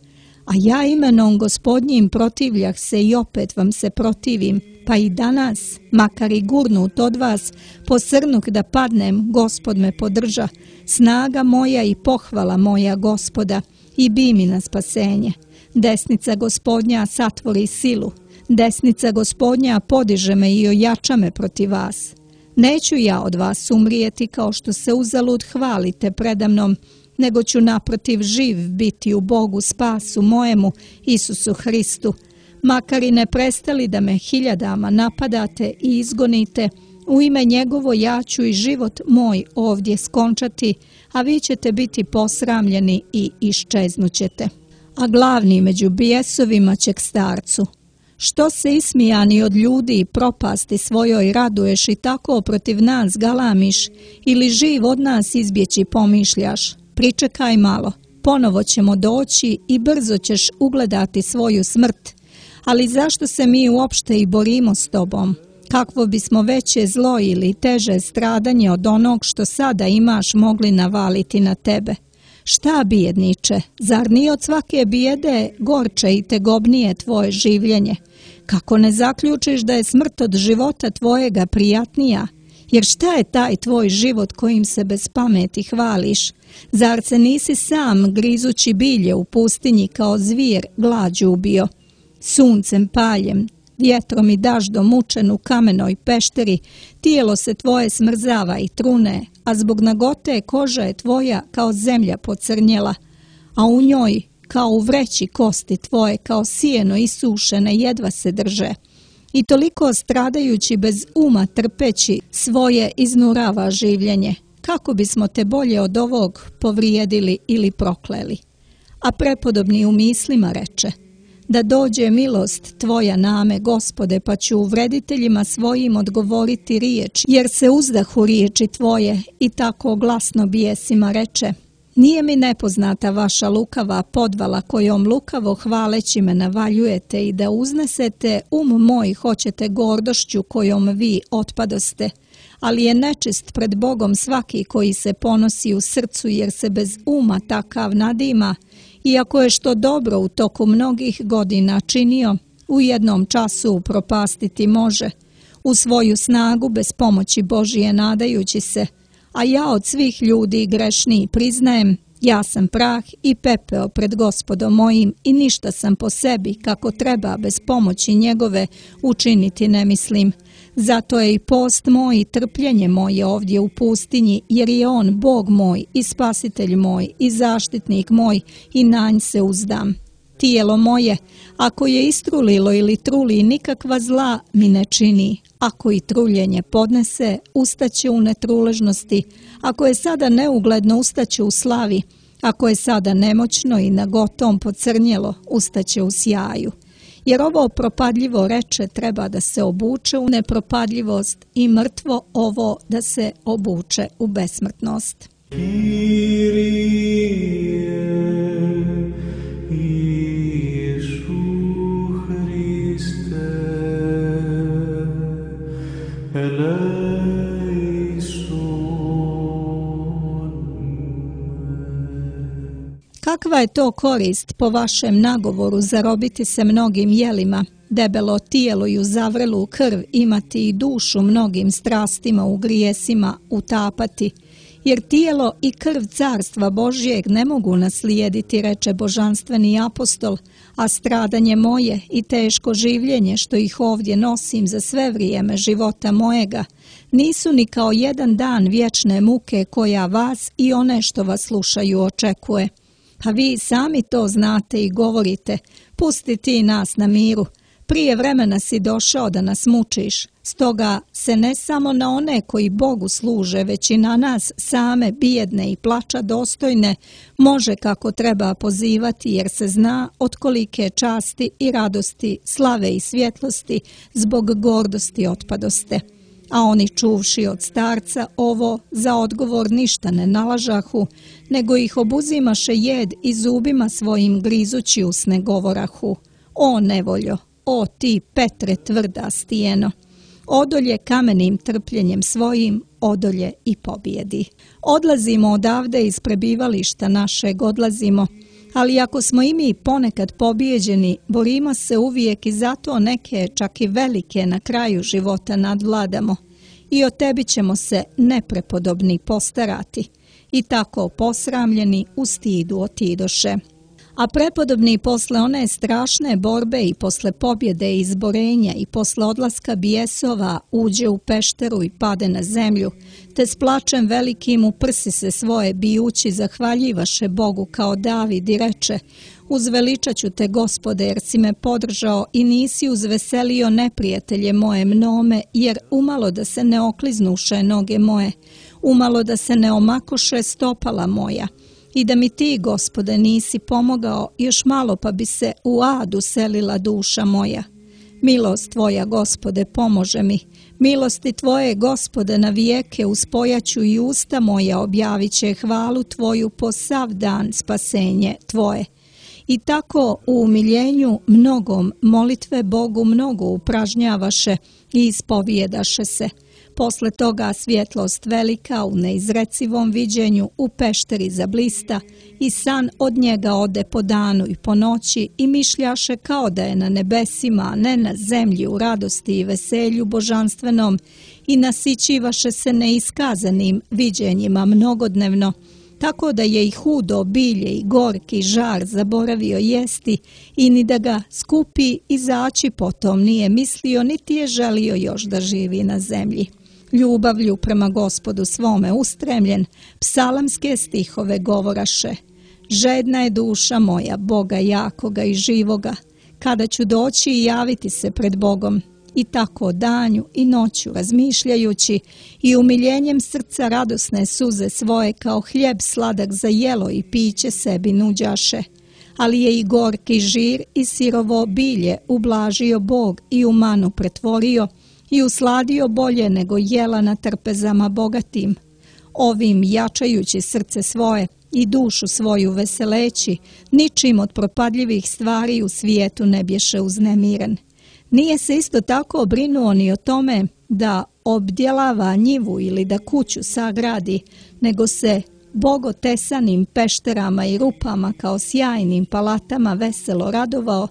A ja imenom Gospodnjim protivljah se i opet vam se protivim, pa i danas, makar i gurnut od vas, posrnuk da padnem, Gospod me podrža, snaga moja i pohvala moja Gospoda, i bi mi na spasenje. Desnica Gospodnja satvori silu, desnica Gospodnja podiže me i ojača me protiv vas. Neću ja od vas umrijeti kao što se uzalud hvalite predamnom, nego ću naprotiv živ biti u Bogu spasu mojemu, Isusu Hristu. Makar i ne prestali da me hiljadama napadate i izgonite, u ime njegovo ja ću i život moj ovdje skončati, a vi ćete biti posramljeni i iščeznućete. A glavni među bijesovima će k starcu: Što se ismijani od ljudi i propasti svojoj raduješ i tako protiv nas galamiš, ili živ od nas izbjeći pomišljaš? Pričekaj malo, ponovo ćemo doći i brzo ćeš ugledati svoju smrt. Ali zašto se mi uopšte i borimo s tobom? Kakvo bismo veće zlo ili teže stradanje od onog što sada imaš mogli navaliti na tebe? Šta, bijedniče, zar nije od svake bijede gorče i tegobnije tvoje življenje? Kako ne zaključiš da je smrt od života tvojega prijatnija? Jer šta je taj tvoj život kojim se bez pameti hvališ? Zar se nisi sam, grizući bilje u pustinji kao zvir, glađu ubio? Suncem paljem, vjetrom i daždom mučen u kamenoj pešteri, tijelo se tvoje smrzava i trune, a zbog nagote koža je tvoja kao zemlja pocrnjela, a u njoj, kao u vreći, kosti tvoje kao sijeno isušene jedva se drže. I toliko stradajući bez uma trpeći svoje iznurava življenje. Kako bismo te bolje od ovog povrijedili ili prokleli? A prepodobni u mislima reče: Da dođe milost tvoja name, Gospode, pa ću uvrediteljima svojim odgovoriti riječ, jer se uzdahu riječi tvoje. I tako glasno bijesima reče: Nije mi nepoznata vaša lukava podvala kojom lukavo hvaleći me navaljujete i da uznesete um moj hoćete gordošću kojom vi otpadoste. Ali je nečist pred Bogom svaki koji se ponosi u srcu, jer se bez uma takav nadima, iako je što dobro u toku mnogih godina činio, u jednom času upropastiti može, u svoju snagu bez pomoći Božije nadajući se. A ja od svih ljudi grešniji priznajem, ja sam prah i pepeo pred Gospodom mojim i ništa sam po sebi kako treba bez pomoći njegove učiniti ne mislim. Zato je i post moj i trpljenje moje ovdje u pustinji, jer je on Bog moj i spasitelj moj i zaštitnik moj i na nj se uzdam. Tijelo moje, ako je istrulilo ili truli, nikakva zla mi ne čini. Ako i truljenje podnese, ustaće u netruležnosti. Ako je sada neugledno, ustaće u slavi. Ako je sada nemoćno i nagotom pocrnjelo, ustaće u sjaju. Jer ovo propadljivo reče treba da se obuče u nepropadljivost i mrtvo ovo da se obuče u besmrtnost. Kyrie Kakva je to korist po vašem nagovoru zarobiti se mnogim jelima, debelo tijelo i uzavrelu krv imati i dušu mnogim strastima u grijesima utapati, jer tijelo i krv carstva Božjeg ne mogu naslijediti, reče božanstveni apostol, a stradanje moje i teško življenje što ih ovdje nosim za sve vrijeme života mojega, nisu ni kao jedan dan vječne muke koja vas i one što vas slušaju očekuje. A vi sami to znate i govorite, pusti ti nas na miru, prije vremena si došao da nas mučiš, stoga se ne samo na one koji Bogu služe, već i na nas same bijedne i plača dostojne može kako treba pozivati, jer se zna od kolike časti i radosti, slave i svjetlosti zbog gordosti otpadoste. A oni čuvši od starca ovo za odgovor ništa ne nalažahu, nego ih obuzimaše jed i zubima svojim grizući usne govorahu: o nevoljo, o ti Petre tvrda stijeno, odolje kamenim trpljenjem svojim, odolje i pobjedi. Odlazimo odavde iz prebivališta našeg, odlazimo, ali ako smo i mi ponekad pobijeđeni, borimo se uvijek i zato neke, čak i velike, na kraju života nadvladamo. I o tebi ćemo se neprepodobni postarati. I tako posramljeni u stidu otidoše. A prepodobni posle one strašne borbe i posle pobjede i izborenja i posle odlaska bijesova uđe u pešteru i pade na zemlju, te s plačem velikim u prsi se svoje bijući zahvaljivaše Bogu kao David i reče: uzveličat ću te, Gospode, jer si me podržao i nisi uzveselio neprijatelje moje mnome, jer umalo da se ne okliznuše noge moje, umalo da se ne omakoše stopala moja. I da mi ti, Gospode, nisi pomogao, još malo pa bi se u adu selila duša moja. Milost tvoja, Gospode, pomože mi. Milosti tvoje, Gospode, na vijeke uspojaću i usta moja objavit će hvalu tvoju po sav dan spasenje tvoje. I tako u umiljenju mnogom molitve Bogu mnogo upražnjavaše i ispovijedaše se. Posle toga svjetlost velika u neizrecivom viđenju u pešteri zablista i san od njega ode po danu i po noći i mišljaše kao da je na nebesima, a ne na zemlji u radosti i veselju božanstvenom i nasićivaše se neiskazanim viđenjima mnogodnevno, tako da je i hudo bilje i gorki žar zaboravio jesti i ni da ga skupi izaći potom nije mislio, niti je želio još da živi na zemlji. Ljubavlju prema Gospodu svome ustremljen, psalamske stihove govoraše: žedna je duša moja Boga jakoga i živoga, kada ću doći i javiti se pred Bogom. I tako danju i noću razmišljajući i umiljenjem srca radosne suze svoje kao hljeb sladak za jelo i piće sebi nuđaše. Ali je i gorki žir i sirovo bilje ublažio Bog i u manu pretvorio i usladio bolje nego jela na trpezama bogatim. Ovim jačajući srce svoje i dušu svoju veseleći, ničim od propadljivih stvari u svijetu ne bješe uznemiren. Nije se isto tako brinuo ni o tome da obdjelava njivu ili da kuću sagradi, nego se bogotesanim pešterama i rupama kao sjajnim palatama veselo radovao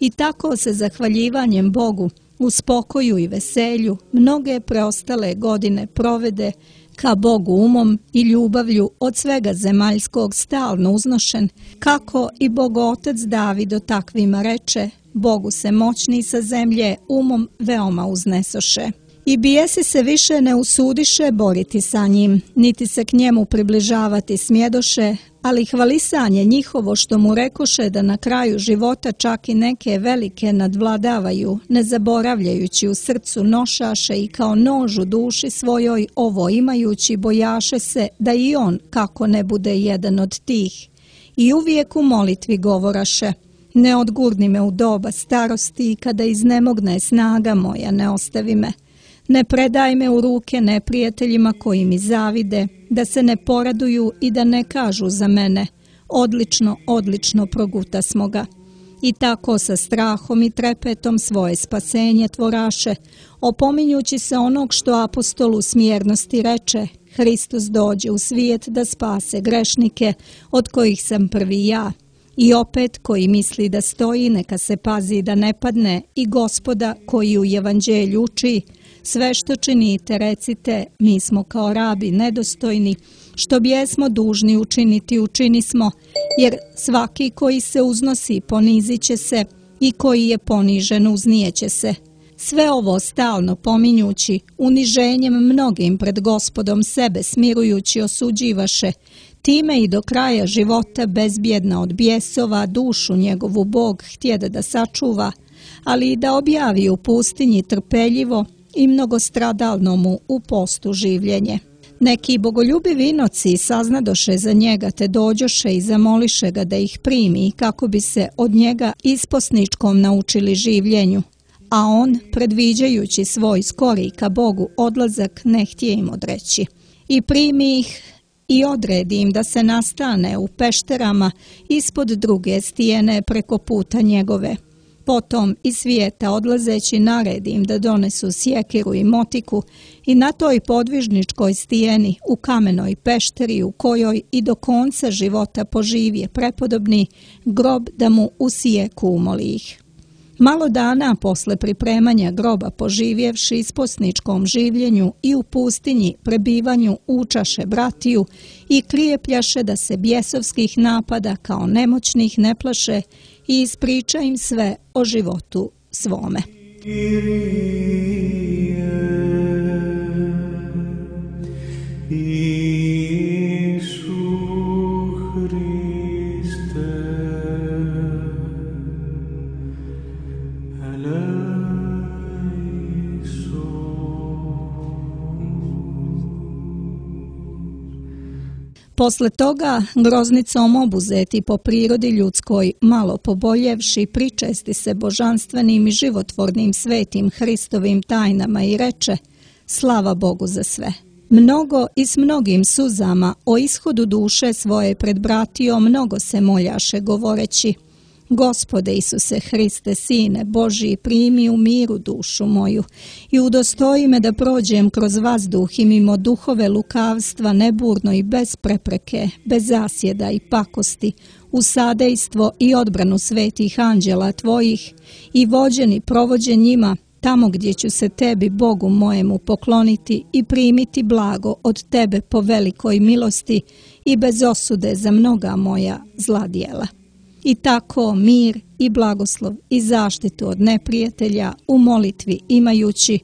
i tako se zahvaljivanjem Bogu u spokoju i veselju mnoge preostale godine provede, ka Bogu umom i ljubavlju od svega zemaljskog stalno uznošen, kako i Bogotac David o takvima reče: Bogu se moćni sa zemlje umom veoma uznesoše. I bijesi se više ne usudiše boriti sa njim, niti se k njemu približavati smjedoše, ali hvalisanje njihovo što mu rekoše da na kraju života čak i neke velike nadvladavaju, ne zaboravljajući u srcu nošaše i kao nož u duši svojoj ovo imajući bojaše se da i on kako ne bude jedan od tih. I uvijek u molitvi govoraše: ne odgurni me u doba starosti i kada iznemogne snaga moja, ne ostavi me. Ne predaj me u ruke neprijateljima koji mi zavide, da se ne poraduju i da ne kažu za mene: odlično, odlično proguta smo ga. I tako sa strahom i trepetom svoje spasenje tvoraše, opominjući se onog što apostolu smjernosti reče: Hristos dođe u svijet da spase grešnike, od kojih sam prvi ja. I opet, koji misli da stoji, neka se pazi da ne padne, i Gospoda koji u evanđelju uči: sve što činite, recite, mi smo kao rabi nedostojni, što bijesmo dužni učiniti, učinismo, jer svaki koji se uznosi ponizit će se, i koji je ponižen uznijeće se. Sve ovo stalno pominjući, uniženjem mnogim pred Gospodom sebe smirujući osuđivaše, time i do kraja života bezbjedna od bijesova dušu njegovu Bog htjede da sačuva, ali i da objavi u pustinji trpeljivo i mnogostradalno mu u postu življenje. Neki bogoljubivi inoci saznadoše za njega, te dođoše i zamoliše ga da ih primi, kako bi se od njega isposničkom naučili življenju. A on, predviđajući svoj skori ka Bogu odlazak, ne htje im odreći. I primi ih i odredi im da se nastane u pešterama ispod druge stijene preko puta njegove. Potom iz svijeta odlazeći naredi im da donesu sjekiru i motiku i na toj podvižničkoj stijeni u kamenoj pešteri, u kojoj i do konca života poživje prepodobni, grob da mu usijeku umoli ih. Malo dana posle pripremanja groba poživjevši isposničkom življenju i u pustinji prebivanju učaše bratiju i krijepljaše da se bjesovskih napada kao nemoćnih ne plaše i ispriča im sve o životu svome. Posle toga, groznicom obuzeti po prirodi ljudskoj, malo poboljevši, pričesti se božanstvenim i životvornim svetim Hristovim tajnama i reče: slava Bogu za sve. Mnogo i s mnogim suzama o ishodu duše svoje pred bratijom mnogo se moljaše govoreći: Gospode Isuse Hriste, Sine Božji, primi u miru dušu moju i udostoji me da prođem kroz vazduh i mimo duhove lukavstva neburno i bez prepreke, bez zasjeda i pakosti, u sadejstvo i odbranu svetih anđela tvojih i vođeni provođen njima tamo gdje ću se tebi, Bogu mojemu, pokloniti i primiti blago od tebe po velikoj milosti i bez osude za mnoga moja zla djela. I tako mir i blagoslov i zaštitu od neprijatelja u molitvi imajući,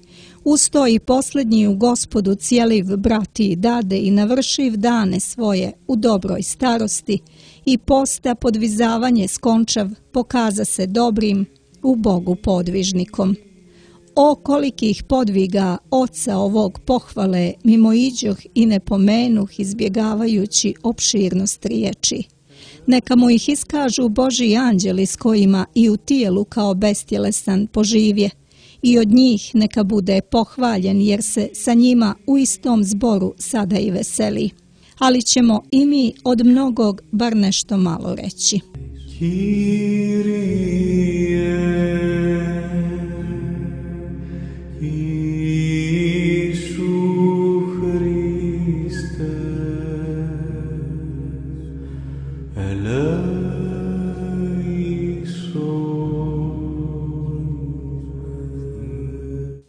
usto i posljednji u Gospodu cijeliv brati dade i navršiv dane svoje u dobroj starosti i posta podvizavanje skončav pokaza se dobrim u Bogu podvižnikom. O kolikih podviga oca ovog pohvale mimoiđoh i ne pomenuh izbjegavajući opširnost riječi. Neka mu ih iskažu Božji anđeli s kojima i u tijelu kao bestjelesan poživje i od njih neka bude pohvaljen jer se sa njima u istom zboru sada i veseli. Ali ćemo i mi od mnogog bar nešto malo reći.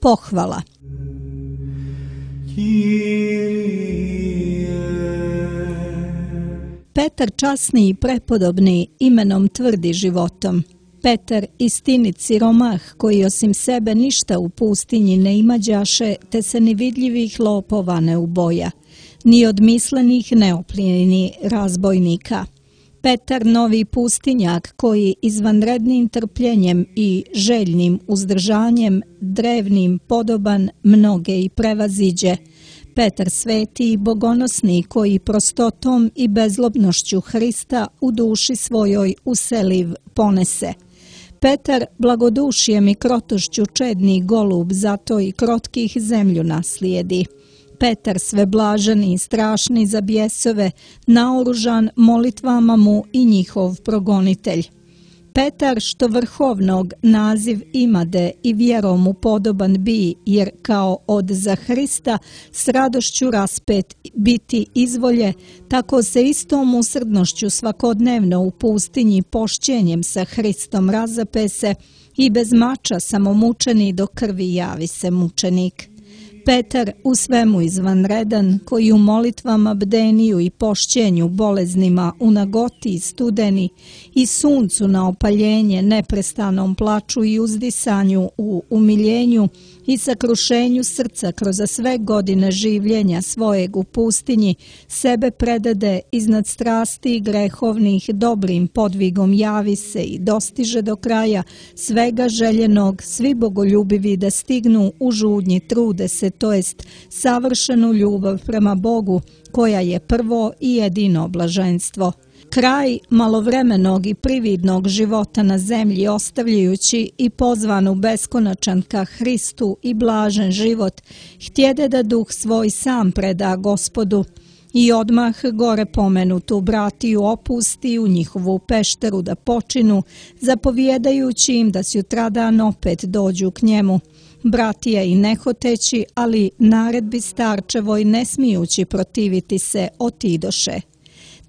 Pohvala. Petar časni i prepodobni imenom tvrdi životom. Petar istinit siromah koji osim sebe ništa u pustinji ne imađaše, te se ni vidljivih lopova ne uboja, ni od mislenih neopljenini razbojnika. Petar novi pustinjak koji izvanrednim trpljenjem i željnim uzdržanjem drevnim podoban mnoge i prevaziđe. Petar sveti i bogonosni koji prostotom i bezlobnošću Hrista u duši svojoj useliv ponese. Petar blagodušjem i krotošću čedni golub, zato i krotkih zemlju naslijedi. Petar sveblaženi i strašni za bjesove, naoružan molitvama mu i njihov progonitelj. Petar što vrhovnog naziv imade i vjerom mu podoban bi, jer kao od za Hrista s radošću raspet biti izvolje, tako se istom usrdnošću svakodnevno u pustinji pošćenjem sa Hristom razape se i bez mača samomučeni do krvi javi se mučenik. Petar u svemu izvanredan, koji u molitvama bdeniju i pošćenju boleznima u nagoti i studeni i suncu na opaljenje neprestanom plaču i uzdisanju u umiljenju i sakrušenju srca kroz sve godine življenja svojeg u pustinji, sebe predade iznad strasti grehovnih dobrim podvigom javi se i dostiže do kraja svega željenog, svi bogoljubivi da stignu u žudnji trude se, to jest savršenu ljubav prema Bogu, koja je prvo i jedino blaženstvo. Kraj malovremenog i prividnog života na zemlji ostavljajući i pozvanu beskonačan ka Hristu i blažen život, htjede da duh svoj sam preda Gospodu i odmah gore pomenutu bratiju opusti u njihovu pešteru da počinu, zapovjedajući im da sutradan opet dođu k njemu. Bratija i nehoteći, ali naredbi starčevoj ne smijući protiviti se, otidoše.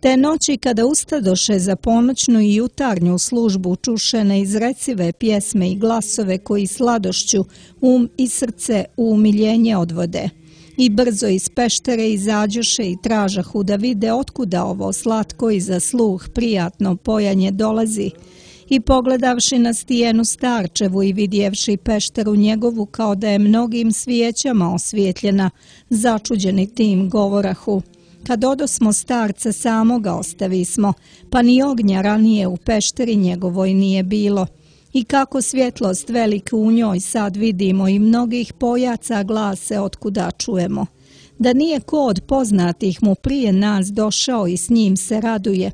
Te noći kada ustadoše za ponoćnu i jutarnju službu čuše neizrecive pjesme i glasove koji sladošću um i srce u umiljenje odvode. I brzo iz peštere izađoše i tražahu da vide otkuda ovo slatko i za sluh prijatno pojanje dolazi. I pogledavši na stijenu starčevu i vidjevši pešteru njegovu kao da je mnogim svijećama osvjetljena, začuđeni tim govorahu: kad odosmo starca samoga ostavismo, pa ni ognja ranije u pešteri njegovoj nije bilo. I kako svjetlost velika u njoj sad vidimo i mnogih pojaca glase otkuda čujemo. Da nije ko od poznatih mu prije nas došao i s njim se raduje.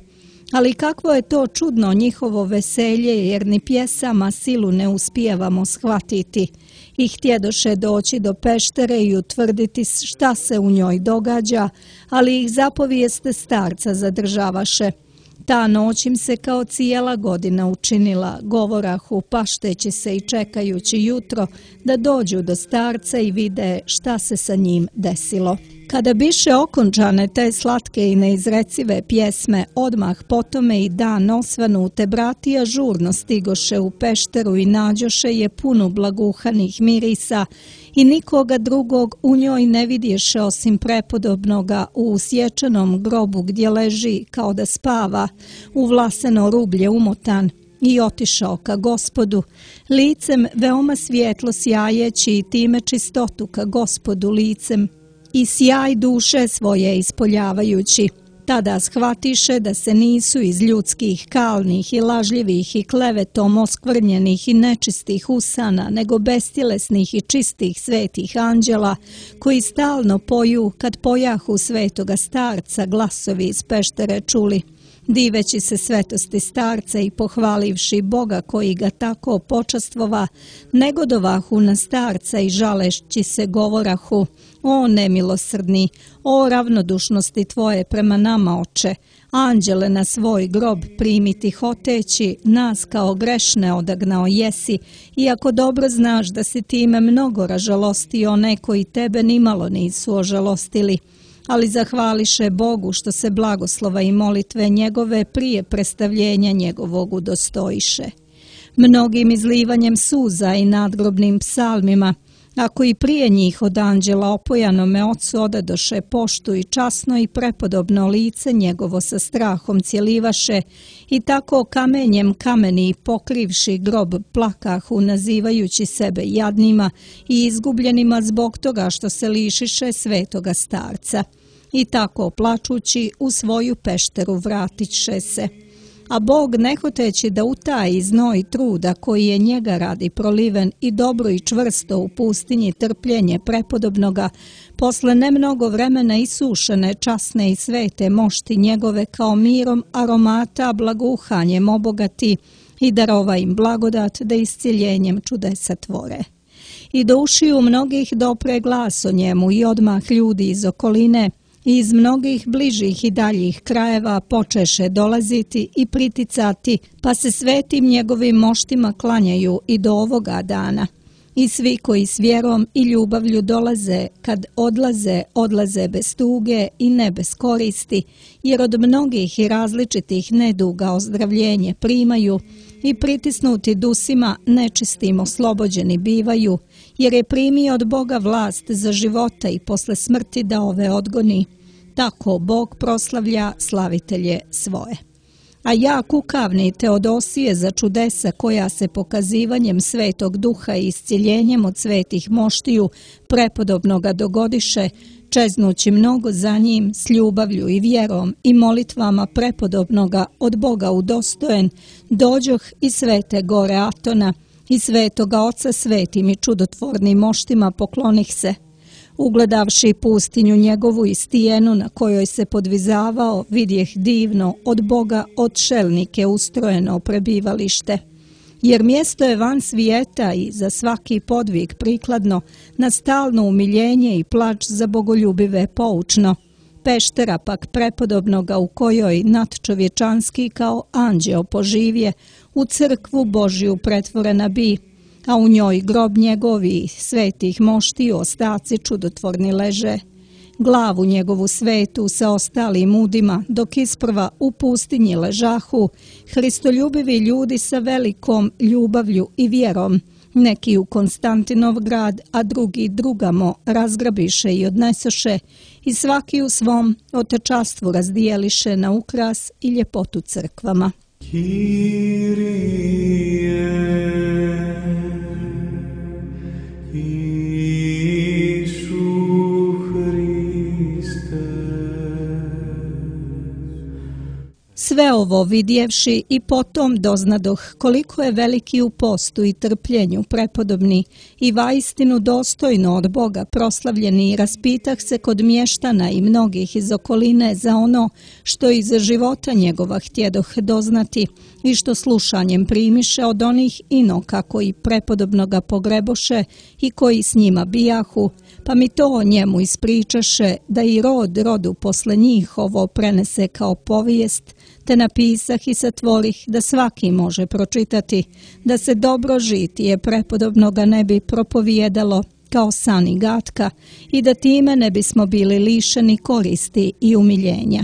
Ali kakvo je to čudno njihovo veselje, jer ni pjesama silu ne uspijevamo shvatiti. I htjedoše doći do peštere i utvrditi šta se u njoj događa, ali ih zapovijeste starca zadržavaše. Ta noć im se kao cijela godina učinila, govorahu pašteći se i čekajući jutro da dođu do starca i vide šta se sa njim desilo. Kada biše okončane te slatke i neizrecive pjesme, odmah potome i dan osvanu, te bratija žurno stigoše u pešteru i nađoše je punu blaguhanih mirisa i nikoga drugog u njoj ne vidješe osim prepodobnoga u usječenom grobu gdje leži kao da spava, u vlaseno rublje umotan. I otišao ka Gospodu, licem veoma svjetlo sjajeći i time čistotu ka Gospodu licem i sjaj duše svoje ispoljavajući. Tada shvatiše da se nisu iz ljudskih, kalnih i lažljivih i klevetom oskvrnjenih i nečistih usana, nego bestjelesnih i čistih svetih anđela, koji stalno poju kad pojahu svetoga starca glasovi iz peštere čuli. Diveći se svetosti starca i pohvalivši Boga koji ga tako počastvova, negodovahu na starca i žalešći se govorahu: o nemilosrdni, o ravnodušnosti tvoje prema nama, oče, anđele na svoj grob primiti hoteći, nas kao grešne odagnao jesi, iako dobro znaš da si time mnogo ražalostio one koji tebe nimalo nisu ožalostili. Ali zahvališe Bogu što se blagoslova i molitve njegove prije predstavljenja njegovog udostojiše. Mnogim izlivanjem suza i nadgrobnim psalmima, ako i prije njih od anđela opojanome ocu odadoše poštu i časno i prepodobno lice njegovo sa strahom cjelivaše i tako kamenjem kameni pokrivši grob plakahu nazivajući sebe jadnima i izgubljenima zbog toga što se lišiše svetoga starca. I tako plačući u svoju pešteru vratiše se. A Bog, nehoteći da utaji znoj truda koji je njega radi proliven i dobro i čvrsto u pustinji trpljenje prepodobnoga, posle nemnogo vremena isušene časne i svete mošti njegove kao mirom aromata blaguhanjem obogati i darova im blagodat da isciljenjem čudesa tvore. I do ušiju mnogih dopre glas o njemu i odmah ljudi iz okoline i iz mnogih bližih i daljih krajeva počeše dolaziti i priticati, pa se svetim njegovim moštima klanjaju i do ovoga dana. I svi koji s vjerom i ljubavlju dolaze, kad odlaze, odlaze bez tuge i ne bez koristi, jer od mnogih i različitih neduga ozdravljenje primaju i pritisnuti dusima nečistim oslobođeni bivaju, jer je primio od Boga vlast za života i posle smrti da ove odgoni. Tako Bog proslavlja slavitelje svoje. A ja, kukavni Teodosije, za čudesa koja se pokazivanjem Svetog Duha i iscjeljenjem od svetih moštiju prepodobnoga dogodiše, čeznući mnogo za njim s ljubavlju i vjerom i molitvama prepodobnoga od Boga udostojen, dođoh i svete gore Atona i svetoga Oca svetim i čudotvornim moštima poklonih se. Ugledavši pustinju njegovu i stijenu na kojoj se podvizavao, vidjeh divno od Boga odšelnike ustrojeno prebivalište. Jer mjesto je van svijeta i za svaki podvig prikladno, na stalno umiljenje i plač za bogoljubive poučno. Peštera pak prepodobnoga u kojoj nadčovječanski kao anđeo poživje, u crkvu Božju pretvorena bi, a u njoj grob njegovi svetih moštiju ostaci čudotvorni leže. Glavu njegovu svetu sa ostalim udima, dok isprva u pustinji ležahu, hristoljubivi ljudi sa velikom ljubavlju i vjerom, neki u Konstantinov grad, a drugi drugamo razgrabiše i odnesoše, i svaki u svom otečastvu razdijeliše na ukras i ljepotu crkvama. Sve ovo vidjevši i potom doznadoh koliko je veliki u postu i trpljenju prepodobni i vaistinu dostojno od Boga proslavljeni, i raspitah se kod mještana i mnogih iz okoline za ono što iz života njegova htjedoh doznati i što slušanjem primiše od onih inoka koji prepodobno ga pogreboše i koji s njima bijahu, pa mi to o njemu ispričaše da i rod rodu posle njih ovo prenese kao povijest, te napisah i satvorih da svaki može pročitati, da se dobro žitije prepodobnoga ne bi propovijedalo kao san i gatka i da time ne bismo bili lišeni koristi i umiljenja.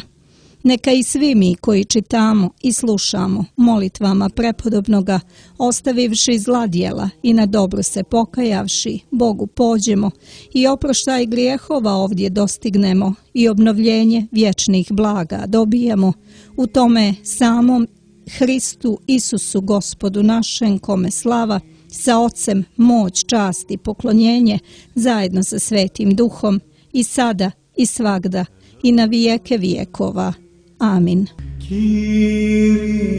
Neka i svi mi koji čitamo i slušamo molitvama prepodobnoga, ostavivši zla djela i na dobro se pokajavši, Bogu pođemo i oproštaj grijehova ovdje dostignemo i obnovljenje vječnih blaga dobijemo u tome samom Hristu Isusu Gospodu našem, kome slava, sa Ocem moć, čast i poklonjenje zajedno sa Svetim Duhom i sada i svagda i na vijeke vijekova. Amin. Kyrie.